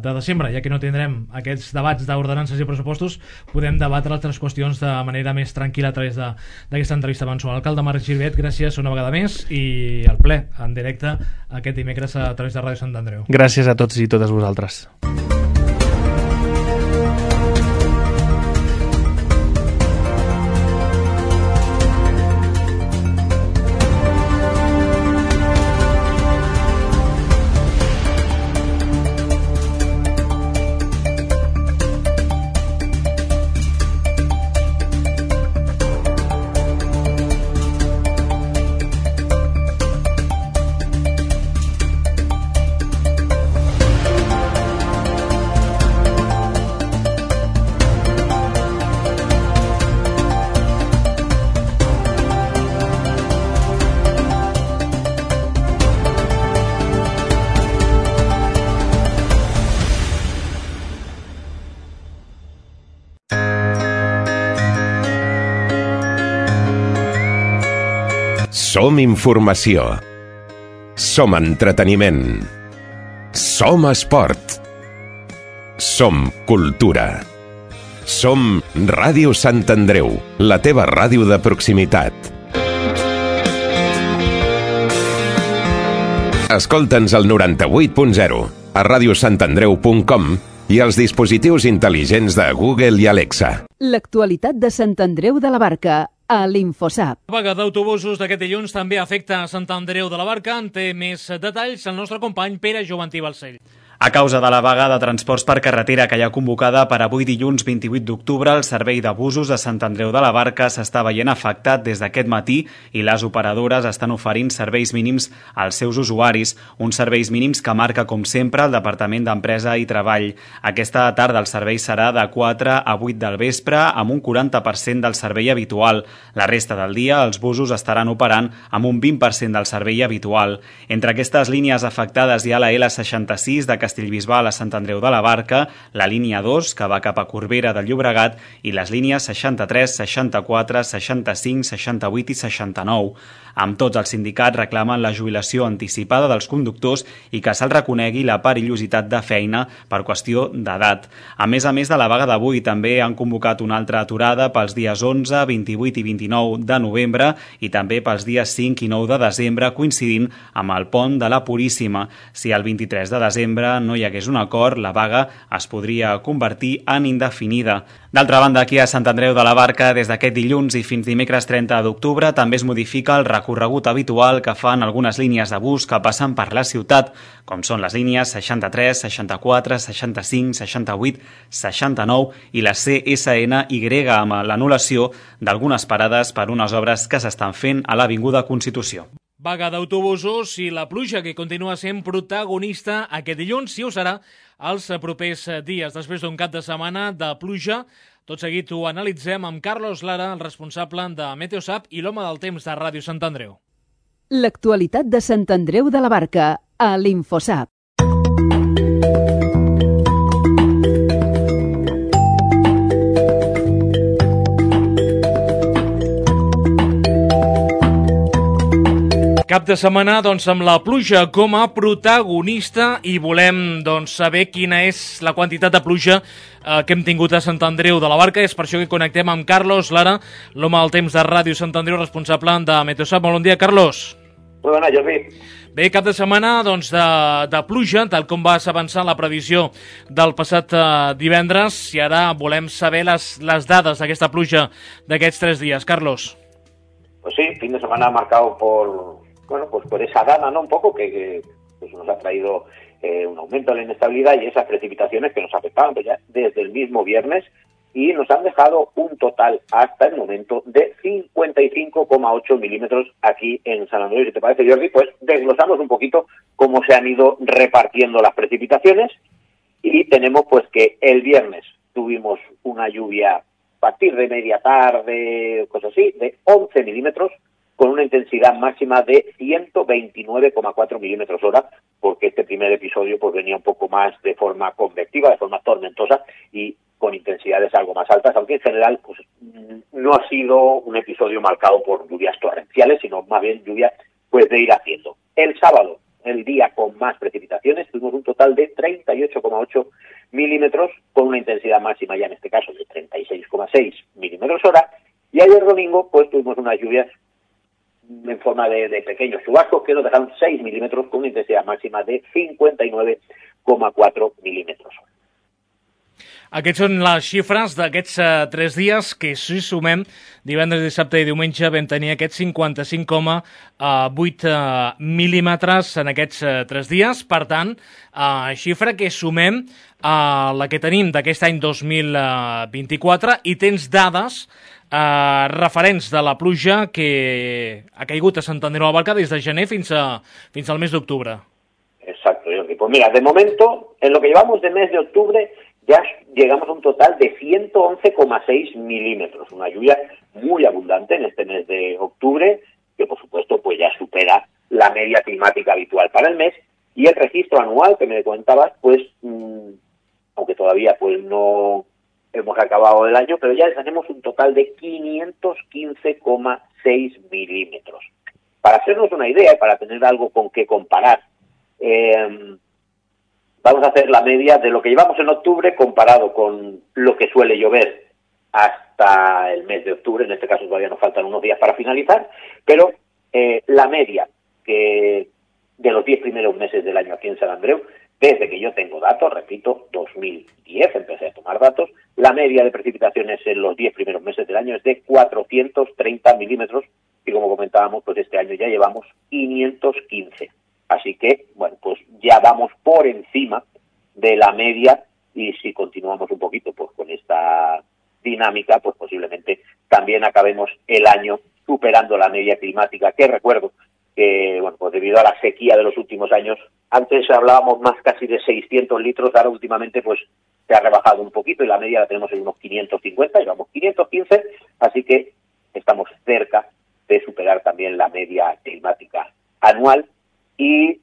de desembre. Ja que no tindrem aquests debats d'ordenances i pressupostos, podem debatre altres qüestions de manera més tranquil·la a través d'aquesta entrevista mensual. Alcalde Marc Girbet, gràcies una vegada més i al ple, en directe, aquest dimecres a través de Ràdio Sant Andreu. Gràcies a tots i totes vosaltres. Som informació. Som entreteniment. Som esport. Som cultura. Som Ràdio Sant Andreu, la teva ràdio de proximitat. Escolta'ns al noranta-vuit punt zero, a radiosantandreu punt com i als dispositius intel·ligents de Google i Alexa. L'actualitat de Sant Andreu de la Barca a l'Infosap. La vaga d'autobusos d'aquest dilluns també afecta a Sant Andreu de la Barca. En té més detalls el nostre company Pere Joventí Balcell. A causa de la vaga de transports per carretera que hi ha convocada per avui dilluns vint-i-vuit d'octubre, el servei de busos de Sant Andreu de la Barca s'està veient afectat des d'aquest matí i les operadores estan oferint serveis mínims als seus usuaris, uns serveis mínims que marca, com sempre, el Departament d'Empresa i Treball. Aquesta tarda el servei serà de quatre a vuit del vespre amb un quaranta per cent del servei habitual. La resta del dia els busos estaran operant amb un vint per cent del servei habitual. Entre aquestes línies afectades hi ha la L seixanta-sis de Castellbisbal a Sant Andreu de la Barca, la línia dos, que va cap a Corbera de Llobregat, i les línies seixanta-tres, seixanta-quatre, seixanta-cinc, seixanta-vuit i seixanta-nou. Amb tots els sindicats reclamen la jubilació anticipada dels conductors i que se'ls reconegui la perillositat de feina per qüestió d'edat. A més a més de la vaga d'avui, també han convocat una altra aturada pels dies onze, vint-i-vuit i vint-i-nou de novembre i també pels dies cinc i nou de desembre, coincidint amb el pont de la Puríssima. Si el vint-i-tres de desembre no hi hagués un acord, la vaga es podria convertir en indefinida. D'altra banda, aquí a Sant Andreu de la Barca, des d'aquest dilluns i fins dimecres trenta d'octubre, també es modifica el recorregut habitual que fan algunes línies de bus que passen per la ciutat, com són les línies seixanta-tres, seixanta-quatre, seixanta-cinc, seixanta-vuit, seixanta-nou i la C S N Y, amb l'anul·lació d'algunes parades per unes obres que s'estan fent a l'Avinguda Constitució. Vaga d'autobusos i la pluja que continua sent protagonista aquest dilluns, si ho serà els propers dies. Després d'un cap de setmana de pluja, tot seguit ho analitzem amb Carlos Lara, el responsable de Meteosap i l'home del temps de Ràdio Sant Andreu. L'actualitat de Sant Andreu de la Barca a l'Infosap. Cap de setmana, doncs, amb la pluja com a protagonista i volem, doncs, saber quina és la quantitat de pluja eh, que hem tingut a Sant Andreu de la Barca. És per això que connectem amb Carlos Lara, l'home del temps de Ràdio Sant Andreu, responsable de Meteosap. Molt bon dia, Carlos. Molt bona, Jordi. Bé, cap de setmana doncs, de, de pluja, tal com vas avançar la previsió del passat eh, divendres, i ara volem saber les, les dades d'aquesta pluja d'aquests tres dies. Carlos. Pues sí, fin de semana marcado por... Bueno, pues por esa dana, ¿no? Un poco que, que pues nos ha traído eh, un aumento de la inestabilidad y esas precipitaciones que nos afectaban pues ya desde el mismo viernes y nos han dejado un total hasta el momento de cincuenta y cinco coma ocho milímetros aquí en San Andreu. Si te parece, Jordi, pues desglosamos un poquito cómo se han ido repartiendo las precipitaciones y tenemos pues que el viernes tuvimos una lluvia a partir de media tarde, cosas así, de once milímetros. con una intensidad máxima de ciento veintinueve coma cuatro milímetros hora, porque este primer episodio pues venía un poco más de forma convectiva, de forma tormentosa y con intensidades algo más altas, aunque en general pues no ha sido un episodio marcado por lluvias torrenciales, sino más bien lluvias pues de ir haciendo. El sábado, el día con más precipitaciones, tuvimos un total de treinta y ocho coma ocho milímetros, con una intensidad máxima ya en este caso de treinta y seis coma seis milímetros hora, y ayer domingo pues tuvimos unas lluvias en forma de, de pequeños chubascos que nos dejaron seis milímetros con una intensidad máxima de cincuenta y nueve coma cuatro milímetros hora. Aquests són les xifres d'aquests uh, tres dies que, si sumem, divendres, dissabte i diumenge vam tenir aquests cinquanta-cinc coma vuit uh, mil·límetres en aquests uh, tres dies. Per tant, uh, xifra que sumem a uh, la que tenim d'aquest any dos mil vint-i-quatre i tens dades uh, referents de la pluja que ha caigut a Sant Andreu de la Barca des de gener fins, a, fins al mes d'octubre. Exacto, Jordi. Pues mira, de momento, en lo que llevamos de mes de octubre, ya llegamos a un total de ciento once coma seis milímetros, una lluvia muy abundante en este mes de octubre, que por supuesto pues ya supera la media climática habitual para el mes, y el registro anual que me comentabas, pues, mmm, aunque todavía pues no hemos acabado el año, pero ya tenemos un total de quinientos quince coma seis milímetros. Para hacernos una idea y para tener algo con qué comparar, eh, vamos a hacer la media de lo que llevamos en octubre comparado con lo que suele llover hasta el mes de octubre. En este caso todavía nos faltan unos días para finalizar, pero eh, la media que de los diez primeros meses del año aquí en Sant Andreu, desde que yo tengo datos, repito, dos mil diez empecé a tomar datos, la media de precipitaciones en los diez primeros meses del año es de cuatrocientos treinta milímetros y como comentábamos, pues este año ya llevamos quinientos quince. Así que, bueno, pues ya vamos por encima de la media y si continuamos un poquito pues con esta dinámica, pues posiblemente también acabemos el año superando la media climática, que recuerdo que, bueno, pues debido a la sequía de los últimos años, antes hablábamos más casi de seiscientos litros, ahora últimamente pues se ha rebajado un poquito y la media la tenemos en unos quinientos cincuenta, llevamos quinientos quince, así que estamos cerca de superar también la media climática anual. Y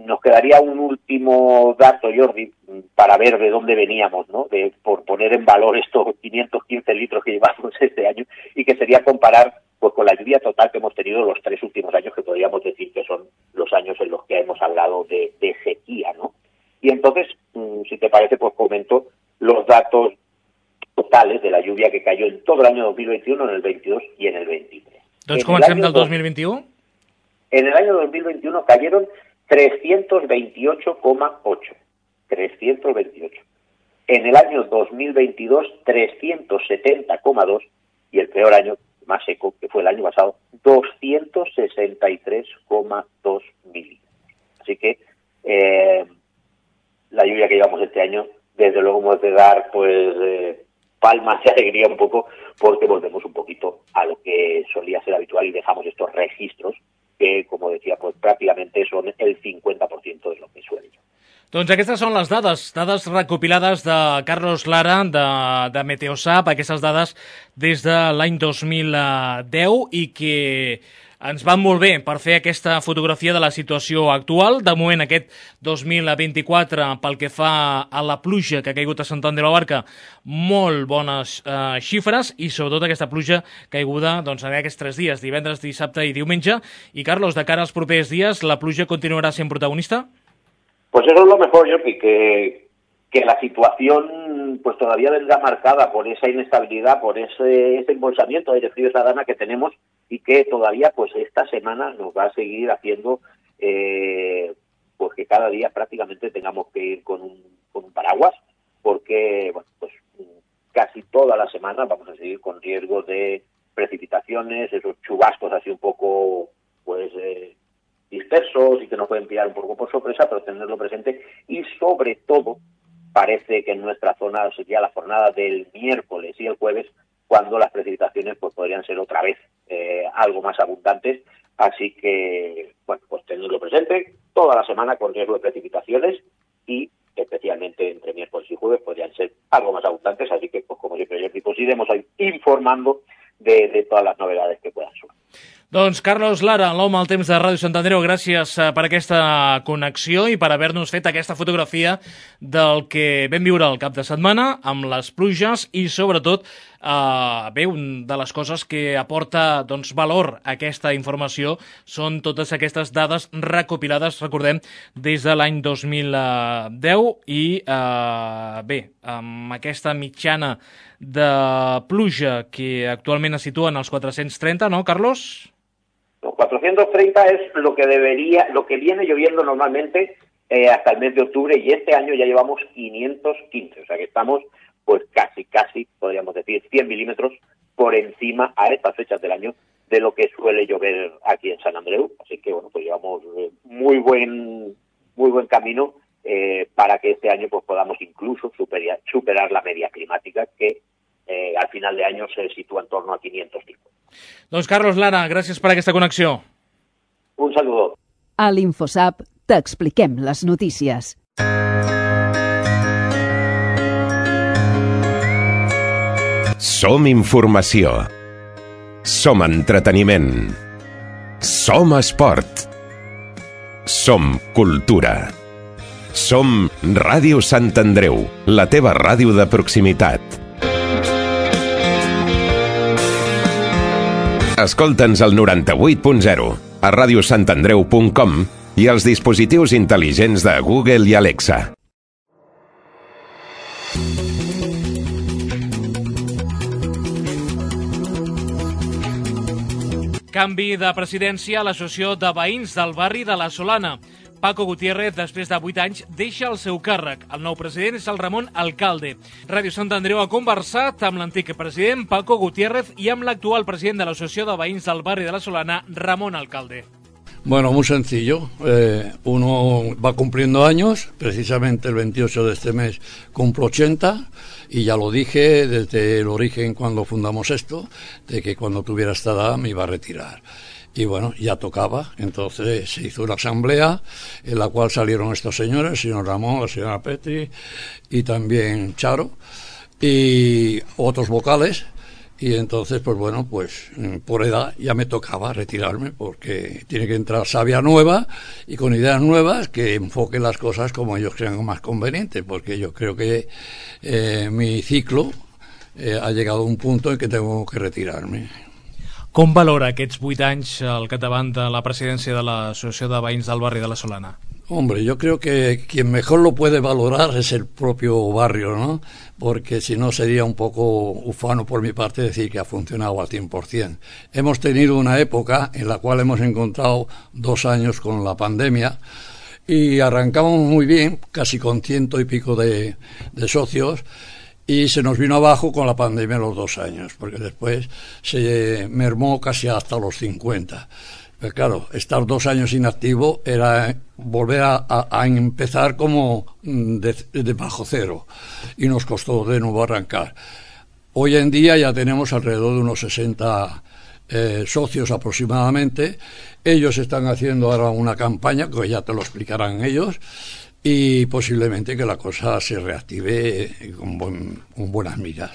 nos quedaría un último dato, Jordi, para ver de dónde veníamos, ¿no? De, por poner en valor estos quinientos quince litros que llevamos este año, y que sería comparar pues con la lluvia total que hemos tenido los tres últimos años, que podríamos decir que son los años en los que hemos hablado de, de sequía, ¿no? Y entonces, si te parece, pues comento los datos totales de la lluvia que cayó en todo el año dos mil veintiuno, en el veintidós y en el veintitrés. Doncs comencem del dos mil vint-i-u. En el año dos mil veintiuno cayeron trescientos veintiocho coma ocho. trescientos veintiocho. En el año dos mil veintidós, trescientos setenta coma dos. Y el peor año, más seco, que fue el año pasado, doscientos sesenta y tres coma dos milímetros. Así que eh, la lluvia que llevamos este año, desde luego hemos de dar pues eh, palmas de alegría un poco, porque volvemos un poquito a lo que solía ser habitual y dejamos estos registros que, como decía, pues pràcticament són el cincuenta por ciento de lo que suele yo. Doncs aquestes són les dades, dades recopilades de Carlos Lara, de, de Meteosat, aquestes dades des de l'any dos mil deu i que ens van molt bé per fer aquesta fotografia de la situació actual. De moment, aquest dos mil vint-i-quatre, pel que fa a la pluja que ha caigut a Sant Andreu de la Barca, molt bones eh, xifres i sobretot aquesta pluja caiguda doncs, en aquests tres dies, divendres, dissabte i diumenge. I, Carlos, de cara als propers dies, la pluja continuarà sent protagonista? Pues eso es lo mejor, Jordi, que, que la situación pues todavía vendrá marcada por esa inestabilidad, por ese, ese embolsamiento de aire frío, esa dana que tenemos y que todavía pues esta semana nos va a seguir haciendo eh, pues que cada día prácticamente tengamos que ir con un, con un paraguas, porque bueno, pues casi toda la semana vamos a seguir con riesgo de precipitaciones, esos chubascos así un poco pues eh, dispersos y que nos pueden pillar un poco por sorpresa, pero tenerlo presente. Y sobre todo parece que en nuestra zona sería la jornada del miércoles y el jueves cuando las precipitaciones pues podrían ser otra vez eh, algo más abundantes, así que bueno, pues tenerlo presente toda la semana con riesgo de precipitaciones y especialmente entre miércoles y jueves podrían ser algo más abundantes, así que pues como siempre yo pues iremos informando de, de todas las novedades que puedan surgir. Doncs Carlos Lara, l'home al temps de Ràdio Sant Andreu, gràcies per aquesta connexió i per haver-nos fet aquesta fotografia del que vam viure el cap de setmana amb les pluges i sobretot eh, bé, una de les coses que aporta doncs, valor a aquesta informació són totes aquestes dades recopilades, recordem, des de l'any dos mil deu i eh, bé, amb aquesta mitjana de pluja que actualment es situa en els quatre-cents trenta, no, Carlos? Los cuatrocientos treinta es lo que debería, lo que viene lloviendo normalmente eh, hasta el mes de octubre y este año ya llevamos quinientos quince, o sea que estamos pues casi, casi, podríamos decir, cien milímetros por encima a estas fechas del año de lo que suele llover aquí en San Andreu, así que bueno, pues llevamos eh, muy buen, muy buen camino eh, para que este año pues podamos incluso superar, superar la media climática que eh, al final de año se sitúa en torno a quinientos cinco. Doncs Carlos Lara, gràcies per aquesta connexió. Un saludo. A l'InfoSap t'expliquem les notícies. Som informació. Som entreteniment. Som esport. Som cultura. Som Ràdio Sant Andreu, la teva ràdio de proximitat. Escolta'ns al noranta-vuit punt zero, a ràdio sant andreu punt com i als dispositius intel·ligents de Google i Alexa. Canvi de presidència a l'Associació de Veïns del barri de la Solana. Paco Gutiérrez, després de vuit anys, deixa el seu càrrec. El nou president és el Ramon Alcalde. Ràdio Sant Andreu ha conversat amb l'antic president Paco Gutiérrez y amb l'actual president de l'Associació de Veïns del barri de la Solana, Ramón Alcalde. Bueno, muy sencillo. Eh, uno va cumpliendo años, precisamente el veintiocho de este mes cumplo ochenta, y ya lo dije desde el origen cuando fundamos esto, de que cuando tuviera esta edad me iba a retirar. Y bueno, ya tocaba, entonces se hizo una asamblea en la cual salieron estos señores, el señor Ramón, la señora Petri y también Charo y otros vocales, y entonces pues bueno, pues por edad ya me tocaba retirarme porque tiene que entrar savia nueva y con ideas nuevas que enfoquen las cosas como ellos crean más conveniente, porque yo creo que eh, mi ciclo eh, ha llegado a un punto en que tengo que retirarme. Com valora aquests vuit anys al capdavant de la presidència de l'Associació de Veïns del barri de la Solana? Hombre, yo creo que quien mejor lo puede valorar es el propio barrio, ¿no? Porque si no sería un poco ufano por mi parte decir que ha funcionado al cien por ciento. Hemos tenido una época en la cual hemos encontrado dos años con la pandemia y arrancamos muy bien, casi con ciento y pico de, de socios, y se nos vino abajo con la pandemia los dos años, porque después se mermó casi hasta los cincuenta. Pero claro, estar dos años inactivo era volver a, a, a empezar como de, de bajo cero, y nos costó de nuevo arrancar. Hoy en día ya tenemos alrededor de unos sesenta eh, socios aproximadamente. Ellos están haciendo ahora una campaña, que ya te lo explicarán ellos, y posiblemente que la cosa se reactive con, bon, con buenas miras.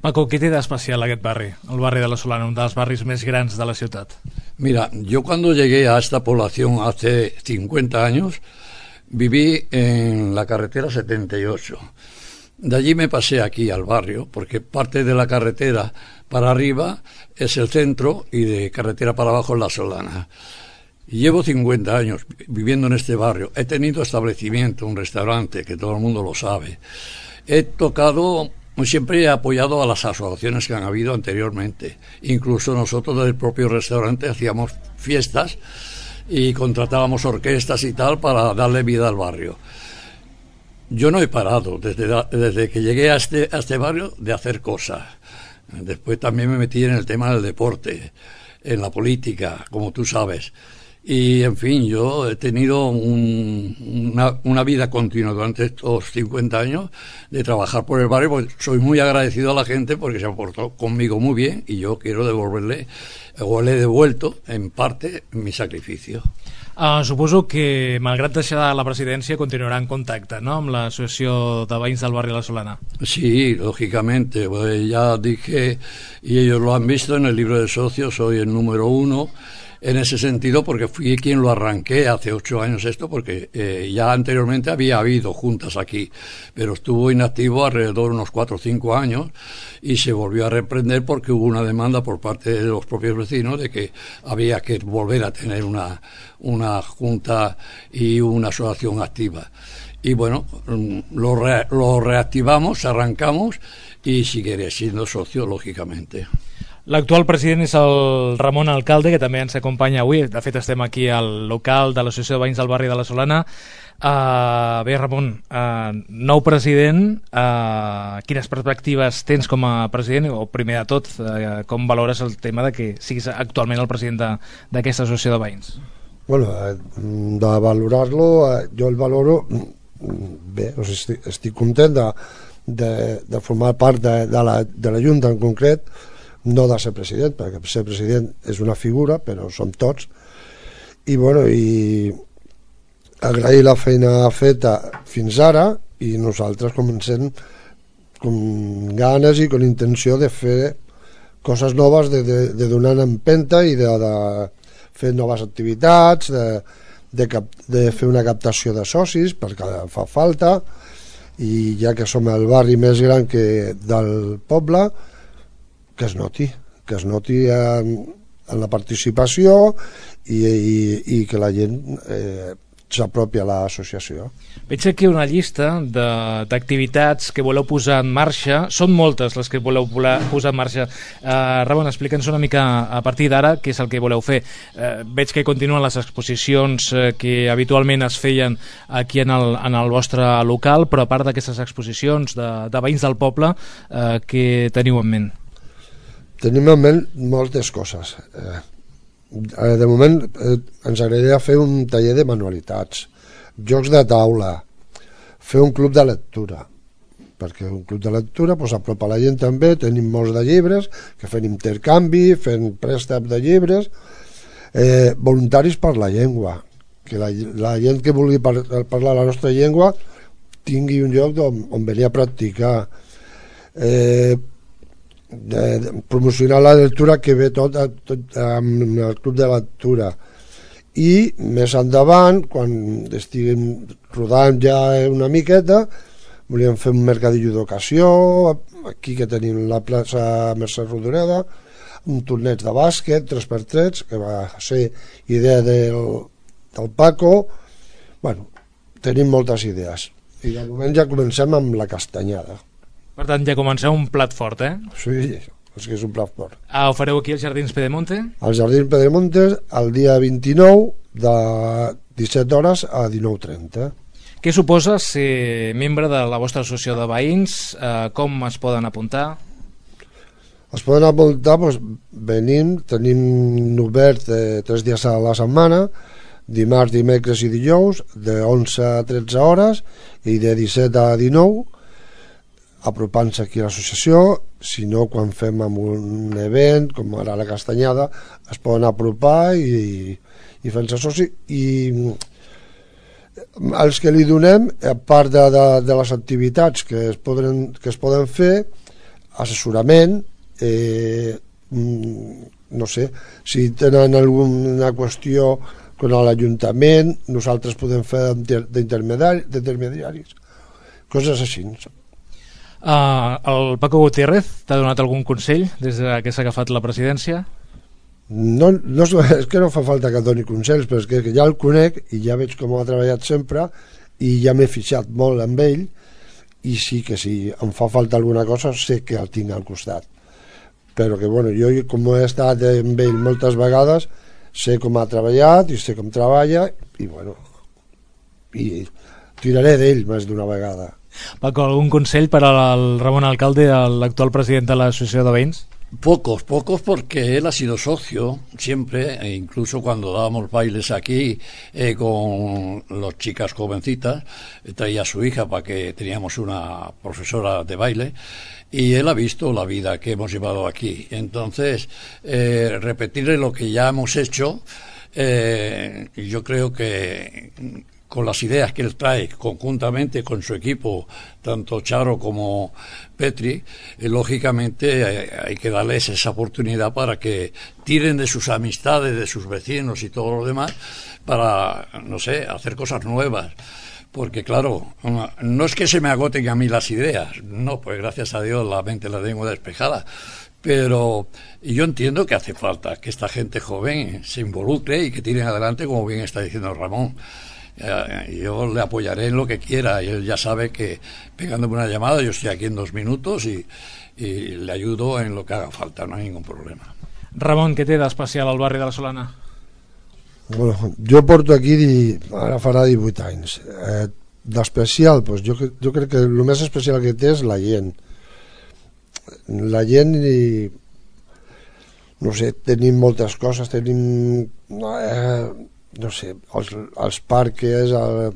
Paco, què té d'especial aquest barri, el barri de la Solana, un dels barris més grans de la ciutat? Mira, yo cuando llegué a esta población hace cincuenta años, viví en la carretera setenta y ocho. De allí me pasé aquí al barrio, porque parte de la carretera para arriba es el centro y de carretera para abajo es la Solana. Llevo cincuenta años viviendo en este barrio. He tenido establecimiento, un restaurante, que todo el mundo lo sabe. He tocado, siempre he apoyado a las asociaciones que han habido anteriormente. Incluso nosotros del propio restaurante hacíamos fiestas y contratábamos orquestas y tal para darle vida al barrio. Yo no he parado desde, desde que llegué a este, a este barrio de hacer cosas. Después también me metí en el tema del deporte, en la política, como tú sabes. Y, en fin, yo he tenido un, una, una vida continua durante estos cincuenta años de trabajar por el barrio, porque soy muy agradecido a la gente porque se ha portado conmigo muy bien y yo quiero devolverle, o le he devuelto, en parte, mi sacrificio. Uh, suposo que, malgrat deixar la presidència, continuarà en contacte, ¿no?, amb l'Associació de Veïns del Barri La Solana. Sí, lógicamente. Pues ya dije, y ellos lo han visto en el libro de socios, soy el número uno en ese sentido, porque fui quien lo arranqué hace ocho años esto, porque eh, ya anteriormente había habido juntas aquí, pero estuvo inactivo alrededor de unos cuatro o cinco años y se volvió a reprender porque hubo una demanda por parte de los propios vecinos de que había que volver a tener una, una junta y una asociación activa. Y bueno, lo, re, lo reactivamos, arrancamos y seguiré siendo socio, lógicamente. L'actual president és el Ramon Alcalde, que també ens acompanya avui. De fet, estem aquí al local de l'Associació de Veïns del Barri de La Solana. Uh, bé, Ramon, uh, nou president, uh, quines perspectives tens com a president? O, primer de tot, uh, com valores el tema de que siguis actualment el president d'aquesta associació de veïns? Bueno, de valorar-lo, jo el valoro bé, o sigui, estic, estic content de, de, de formar part de, de, la, de la Junta en concret, no de ser president, perquè ser president és una figura, però som tots, i bueno, i agrair la feina feta fins ara, i nosaltres comencem amb ganes i amb intenció de fer coses noves, de, de, de donar empenta i de, de fer noves activitats, de, de, cap, de fer una captació de socis, perquè fa falta, i ja que som el barri més gran que del poble, que es noti, que es noti en, en la participació i, i, i que la gent eh, s'apropi a l'associació. Veig aquí una llista d'activitats que voleu posar en marxa. Són moltes les que voleu posar en marxa. Uh, Ramon, explica'ns una mica a partir d'ara què és el que voleu fer. Uh, veig que continuen les exposicions uh, que habitualment es feien aquí en el, en el vostre local, però a part d'aquestes exposicions de, de veïns del poble, uh, què teniu en ment? Tenim en ment moltes coses. Eh, de moment eh, ens agradaria fer un taller de manualitats, jocs de taula, fer un club de lectura, perquè un club de lectura pues, apropa la gent també, tenim molts de llibres, que fem intercanvi, fem préstec de llibres, eh, voluntaris per la llengua, que la, la gent que vulgui par parlar la nostra llengua tingui un lloc on, on venir a practicar. Eh, De, de promocionar la lectura que ve tot, tot amb el club de lectura, i més endavant, quan estiguem rodant ja una miqueta, volíem fer un mercadillo d'ocasió aquí que tenim la plaça Mercè Rodoreda, un torneig de bàsquet tres per tres que va ser idea del, del Paco. Bueno, tenim moltes idees i de moment ja comencem amb la castanyada. Per tant, ja comenceu un plat fort, eh? Sí, és que és un plat fort. Ah, ho fareu aquí als Jardins Pedemonte? Als Jardins Pedemonte el dia vint-i-nou de disset hores a dinou trenta. Què suposa ser membre de la vostra associació de veïns? Eh, com es poden apuntar? Es poden apuntar, doncs, venim, tenim obert eh, tres dies a la setmana, dimarts, dimecres i dijous, de onze a tretze hores i de disset a dinou, apropant-se aquí a l'associació. Si no, quan fem amb un event com ara la castanyada, es poden apropar i, i fent-se soci. I els que li donem, a part de, de, de les activitats que es poden, que es poden fer, assessorament, eh, no sé, si tenen alguna qüestió con l'Ajuntament, nosaltres podem fer d'intermediaris, coses així. Uh, el Paco Gutiérrez t'ha donat algun consell des que s'ha agafat la presidència? No, no, és que no fa falta que doni consells, però és que ja el conec i ja veig com ha treballat sempre i ja m'he fixat molt amb ell, i sí que si em fa falta alguna cosa sé que el tinc al costat, però que bueno, jo com he estat amb ell moltes vegades sé com ha treballat i sé com treballa i bueno, i tiraré d'ell més d'una vegada. Paco, algun consell per al Ramon Alcalde, l'actual president de l'associació de veïns? Pocos, pocos porque él ha sido socio siempre, e incluso cuando dábamos bailes aquí eh, con las chicas jovencitas, traía a su hija para que teníamos una profesora de baile, y él ha visto la vida que hemos llevado aquí. Entonces, eh, repetirle lo que ya hemos hecho, eh, yo creo que con las ideas que él trae conjuntamente con su equipo, tanto Charo como Petri, eh, lógicamente eh, hay que darles esa oportunidad para que tiren de sus amistades, de sus vecinos y todo lo demás, para, no sé, hacer cosas nuevas. Porque claro, no es que se me agoten a mí las ideas, no, pues gracias a Dios la mente la tengo despejada, pero yo entiendo que hace falta que esta gente joven se involucre y que tiren adelante, como bien está diciendo Ramón. Yo le apoyaré en lo que quiera, y él ya sabe que pegándome una llamada, yo estoy aquí en dos minutos y, y le ayudo en lo que haga falta, no hay ningún problema. Ramon, què té d'especial al barri de la Solana? Bueno, jo porto aquí, di, ara farà divuit anys. Eh, d'especial, doncs jo, jo crec que el més especial que té és la gent. La gent i... no sé, tenim moltes coses, tenim... Eh, no sé, els, els parques, el,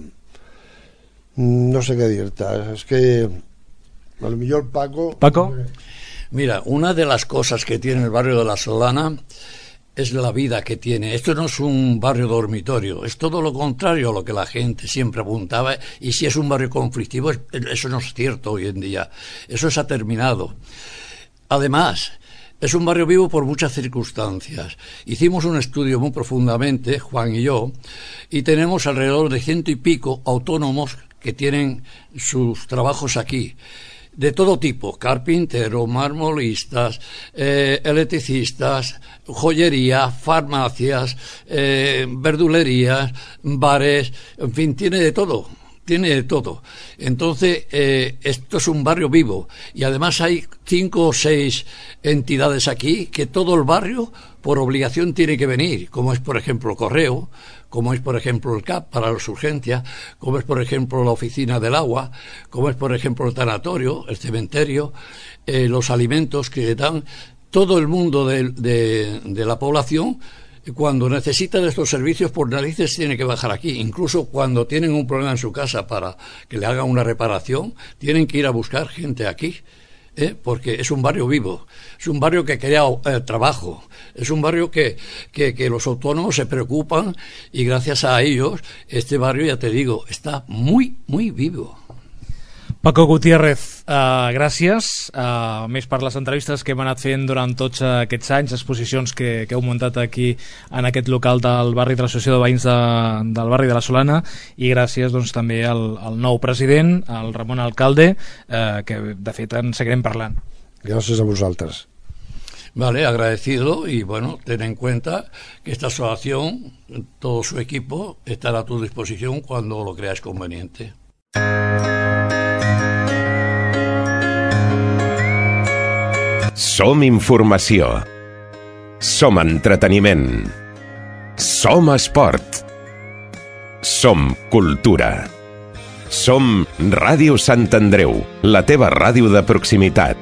no sé què dir-te, és que a lo millor Paco... Paco? Mira, una de las cosas que tiene el barrio de la Solana es la vida que tiene. Esto no es un barrio dormitorio, es todo lo contrario a lo que la gente siempre apuntaba, y si es un barrio conflictivo, eso no es cierto hoy en día, eso se ha terminado. Además, es un barrio vivo por muchas circunstancias. Hicimos un estudio muy profundamente, Juan y yo, y tenemos alrededor de ciento y pico autónomos que tienen sus trabajos aquí, de todo tipo: carpinteros, marmolistas, eh, electricistas, joyería, farmacias, eh, verdulerías, bares, en fin, tiene de todo. Tiene de todo. Entonces, eh, esto es un barrio vivo, y además hay cinco o seis entidades aquí que todo el barrio por obligación tiene que venir, como es por ejemplo el correo, como es por ejemplo el C A P para las urgencias, como es por ejemplo la oficina del agua, como es por ejemplo el tanatorio, el cementerio, eh, los alimentos que dan. Todo el mundo de, de, de la población, cuando necesitan estos servicios, por narices tiene que bajar aquí. Incluso cuando tienen un problema en su casa para que le hagan una reparación, tienen que ir a buscar gente aquí, ¿eh? Porque es un barrio vivo, es un barrio que crea eh, trabajo, es un barrio que, que, que los autónomos se preocupan, y gracias a ellos este barrio, ya te digo, está muy, muy vivo. Paco Gutiérrez, uh, gràcies. Uh, més per les entrevistes que hem anat fent durant tots aquests anys, exposicions que, que heu muntat aquí en aquest local del barri de l'Associació de Veïns de, del barri de la Solana, i gràcies doncs, també al, al nou president, al Ramon Alcalde, uh, que de fet en seguirem parlant. Gràcies a vosaltres. Vale, agradecido, y bueno, ten en cuenta que esta asociación, todo su equipo, estará a tu disposición cuando lo creas conveniente. Som informació. Som entreteniment. Som esport. Som cultura. Som Ràdio Sant Andreu, la teva ràdio de proximitat.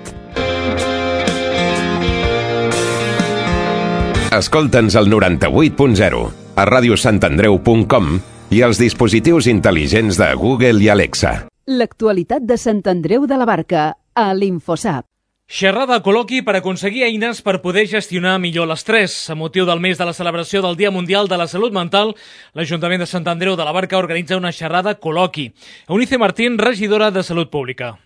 Escolta'ns al noranta-vuit punt zero, a ràdio sant andreu punt com i als dispositius intel·ligents de Google i Alexa. L'actualitat de Sant Andreu de la Barca, a l'Infosap. Xerrada col·loqui per aconseguir eines per poder gestionar millor l'estrès. A motiu del mes de la celebració del Dia Mundial de la Salut Mental, l'Ajuntament de Sant Andreu de la Barca organitza una xerrada col·loqui. Eunice Martín, regidora de Salut Pública.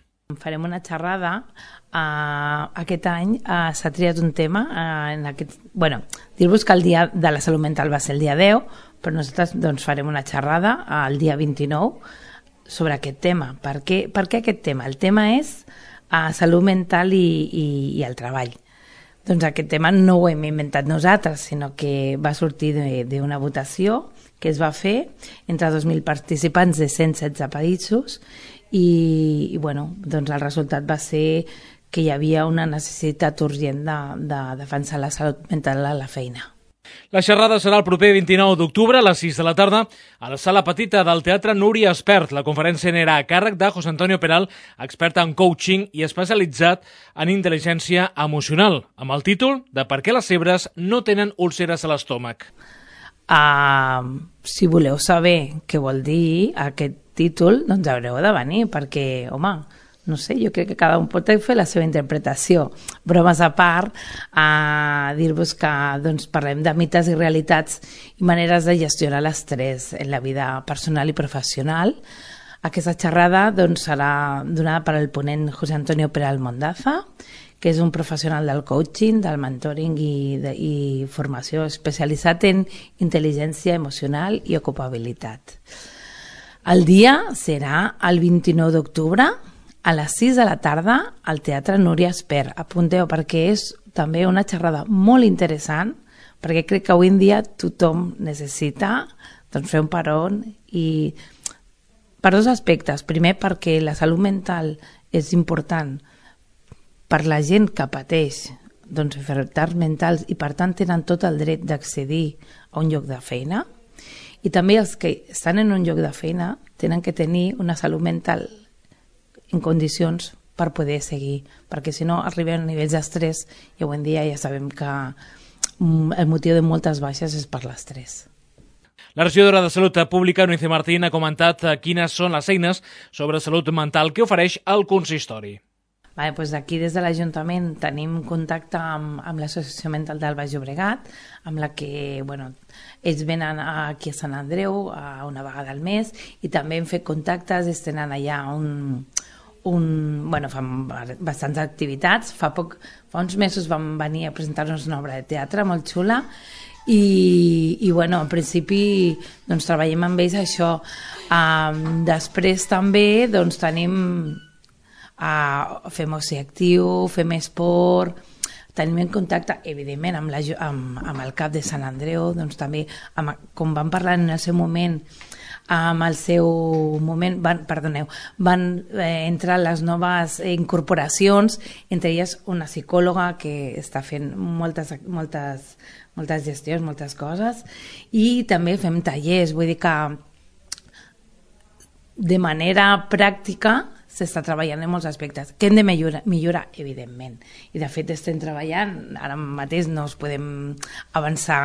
Farem una xerrada. Uh, aquest any uh, s'ha triat un tema. Uh, en aquest, bueno, dir-vos que el Dia de la Salut Mental va ser el dia deu, però nosaltres doncs, farem una xerrada uh, el dia vint-i-nou sobre aquest tema. Per què, per què aquest tema? El tema és a salut mental i, i, i el treball. Doncs aquest tema no ho hem inventat nosaltres, sinó que va sortir d'una votació que es va fer entre dos mil participants de cent setze països, i, i bueno, doncs el resultat va ser que hi havia una necessitat urgent de, de defensar la salut mental a la feina. La xerrada serà el proper vint-i-nou d'octubre a les sis de la tarda a la sala petita del Teatre Núria Espert. La conferència anirà a càrrec de José Antonio Peral, expert en coaching i especialitzat en intel·ligència emocional, amb el títol de Per què les zebres no tenen úlceres a l'estómac. Uh, si voleu saber què vol dir aquest títol, doncs haureu de venir, perquè, home, no sé, jo crec que cada un pot fer la seva interpretació. Bromes a part, a dir-vos que doncs, parlem de mites i realitats i maneres de gestionar l'estrès en la vida personal i professional. Aquesta xerrada doncs, serà donada per al ponent José Antonio Peral Mondaza, que és un professional del coaching, del mentoring i, de, i formació especialitzat en intel·ligència emocional i ocupabilitat. El dia serà el vint-i-nou d'octubre, a les sis de la tarda al Teatre Núria Espert. Apunteu, perquè és també una xerrada molt interessant, perquè crec que avui en dia tothom necessita doncs, fer un peron i per dos aspectes. Primer, perquè la salut mental és important per la gent que pateix doncs, enfermetats mentals i per tant tenen tot el dret d'accedir a un lloc de feina, i també els que estan en un lloc de feina tenen que tenir una salut mental en condicions per poder seguir, perquè si no arriben a nivells d'estrès i avui en dia ja sabem que el motiu de moltes baixes és per l'estrès. La regidora de Salut Pública, Núñez Martín, ha comentat quines són les eines sobre salut mental que ofereix el consistori. Vale, doncs aquí des de l'Ajuntament tenim contacte amb, amb l'Associació Mental del Baix Llobregat, amb la que bueno, ells venen aquí a Sant Andreu a una vegada al mes i també hem fet contactes, ells tenen allà un, un, bueno, fan bastants activitats. Fa, poc, fa uns mesos van venir a presentar-nos una obra de teatre molt xula i, i bueno, en principi doncs, treballem amb ells això. Um, després també doncs, tenim Uh, fem oci actiu, fem esport, tenim en contacte evidentment amb, la, amb, amb el cap de Sant Andreu, doncs també amb, com van parlar en el seu moment, amb el seu moment van, perdoneu, van eh, entrar les noves incorporacions, entre elles una psicòloga que està fent moltes, moltes, moltes gestions, moltes coses, i també fem tallers, vull dir que de manera pràctica s'està treballant en molts aspectes, que hem de millorar, millorar, evidentment. I de fet estem treballant, ara mateix no us podem avançar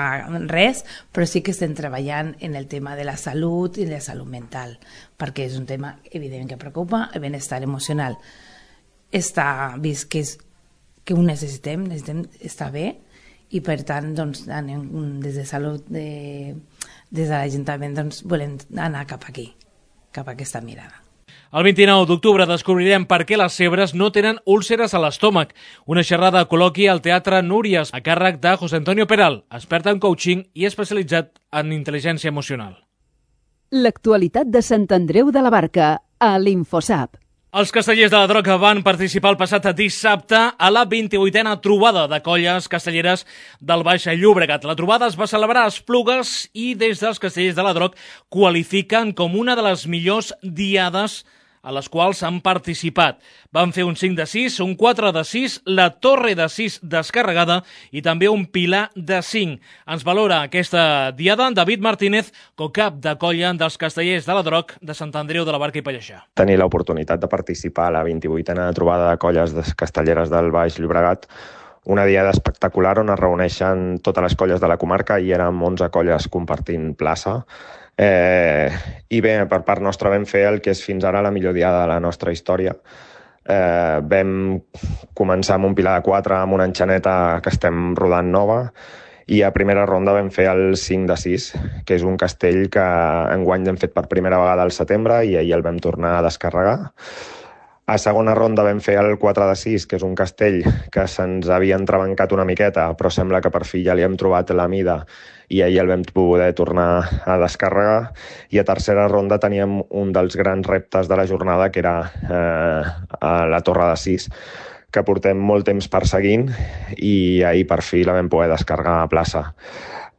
res, però sí que estem treballant en el tema de la salut i de la salut mental, perquè és un tema evident que preocupa, el benestar emocional. Està vist que, és, que ho necessitem, necessitem estar bé, i per tant, doncs, anem, des de salut, de, des de l'Ajuntament, doncs, volem anar cap aquí, cap a aquesta mirada. El vint-i-nou d'octubre descobrirem per què les zebres no tenen úlceres a l'estómac. Una xerrada col·loqui al Teatre Núries a càrrec de José Antonio Peral, expert en coaching i especialitzat en intel·ligència emocional. L'actualitat de Sant Andreu de la Barca a l'Infosap. Els castellers de la Droga van participar el passat dissabte a la vint-i-vuitena trobada de colles castelleres del Baix Llobregat. La trobada es va celebrar a Esplugues i des dels castellers de la Droga qualifiquen com una de les millors diades a les quals han participat. Van fer un cinc de sis, un quatre de sis, la torre de sis descarregada i també un pilar de cinc. Ens valora aquesta diada David Martínez, co-cap de colla dels castellers de la Droga de Sant Andreu de la Barca i Pallejà. Tenir l'oportunitat de participar a la vint-i-vuitena trobada de colles castelleres del Baix Llobregat, una diada espectacular on es reuneixen totes les colles de la comarca i érem onze colles compartint plaça. Eh, I bé, per part nostra vam fer el que és fins ara la millor diada de la nostra història. Eh, vam començar amb un pilar de quatre, amb una enxaneta que estem rodant nova, i a primera ronda vam fer el cinc de sis, que és un castell que enguany hem fet per primera vegada al setembre i ahir el vam tornar a descarregar. A segona ronda vam fer el quatre de sis, que és un castell que se'ns havia entrebancat una miqueta, però sembla que per fi ja li hem trobat la mida i ahir el vam poder tornar a descarregar. I a tercera ronda teníem un dels grans reptes de la jornada, que era eh, a la torre de sis, que portem molt temps perseguint i ahir per fi la vam poder descarregar a plaça.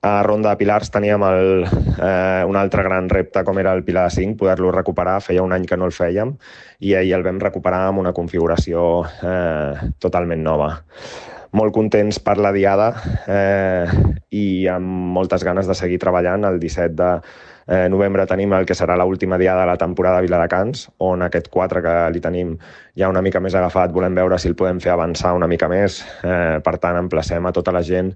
A ronda de pilars teníem el, eh, un altre gran repte, com era el pilar de cinc, poder-lo recuperar. Feia un any que no el fèiem i ahir el vam recuperar amb una configuració eh, totalment nova. molt contents per la diada eh, i amb moltes ganes de seguir treballant. El disset de eh, novembre tenim el que serà l'última diada de la temporada a Viladecans, on aquest quatre que li tenim ja una mica més agafat, volem veure si el podem fer avançar una mica més. Eh, per tant, emplacem a tota la gent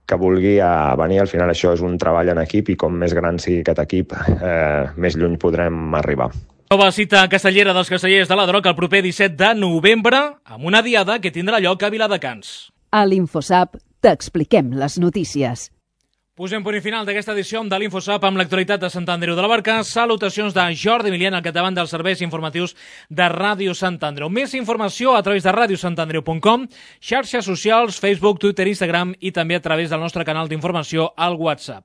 que vulgui a venir. Al final això és un treball en equip i com més gran sigui aquest equip, eh, més lluny podrem arribar. Nova cita castellera dels castellers de la Droc el proper disset de novembre amb una diada que tindrà lloc a Viladecans. A l'InfoSap t'expliquem les notícies. Posem punt i final d'aquesta edició de l'InfoSap amb l'actualitat de Sant Andreu de la Barca. Salutacions de Jordi Milian al capdavant dels serveis informatius de Ràdio Sant Andreu. Més informació a través de ràdio sant andreu punt com, xarxes socials, Facebook, Twitter, Instagram i també a través del nostre canal d'informació al WhatsApp.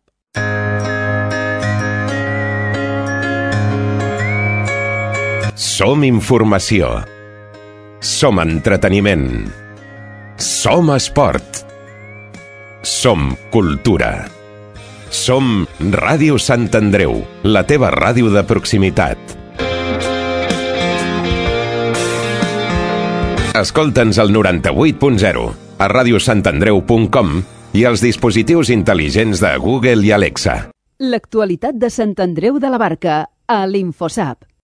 Som informació. Som entreteniment. Som esport. Som cultura. Som Ràdio Sant Andreu, la teva ràdio de proximitat. Escolta'ns al noranta-vuit punt zero, a ràdio sant andreu punt com i als dispositius intel·ligents de Google i Alexa. L'actualitat de Sant Andreu de la Barca a l'InfoSap.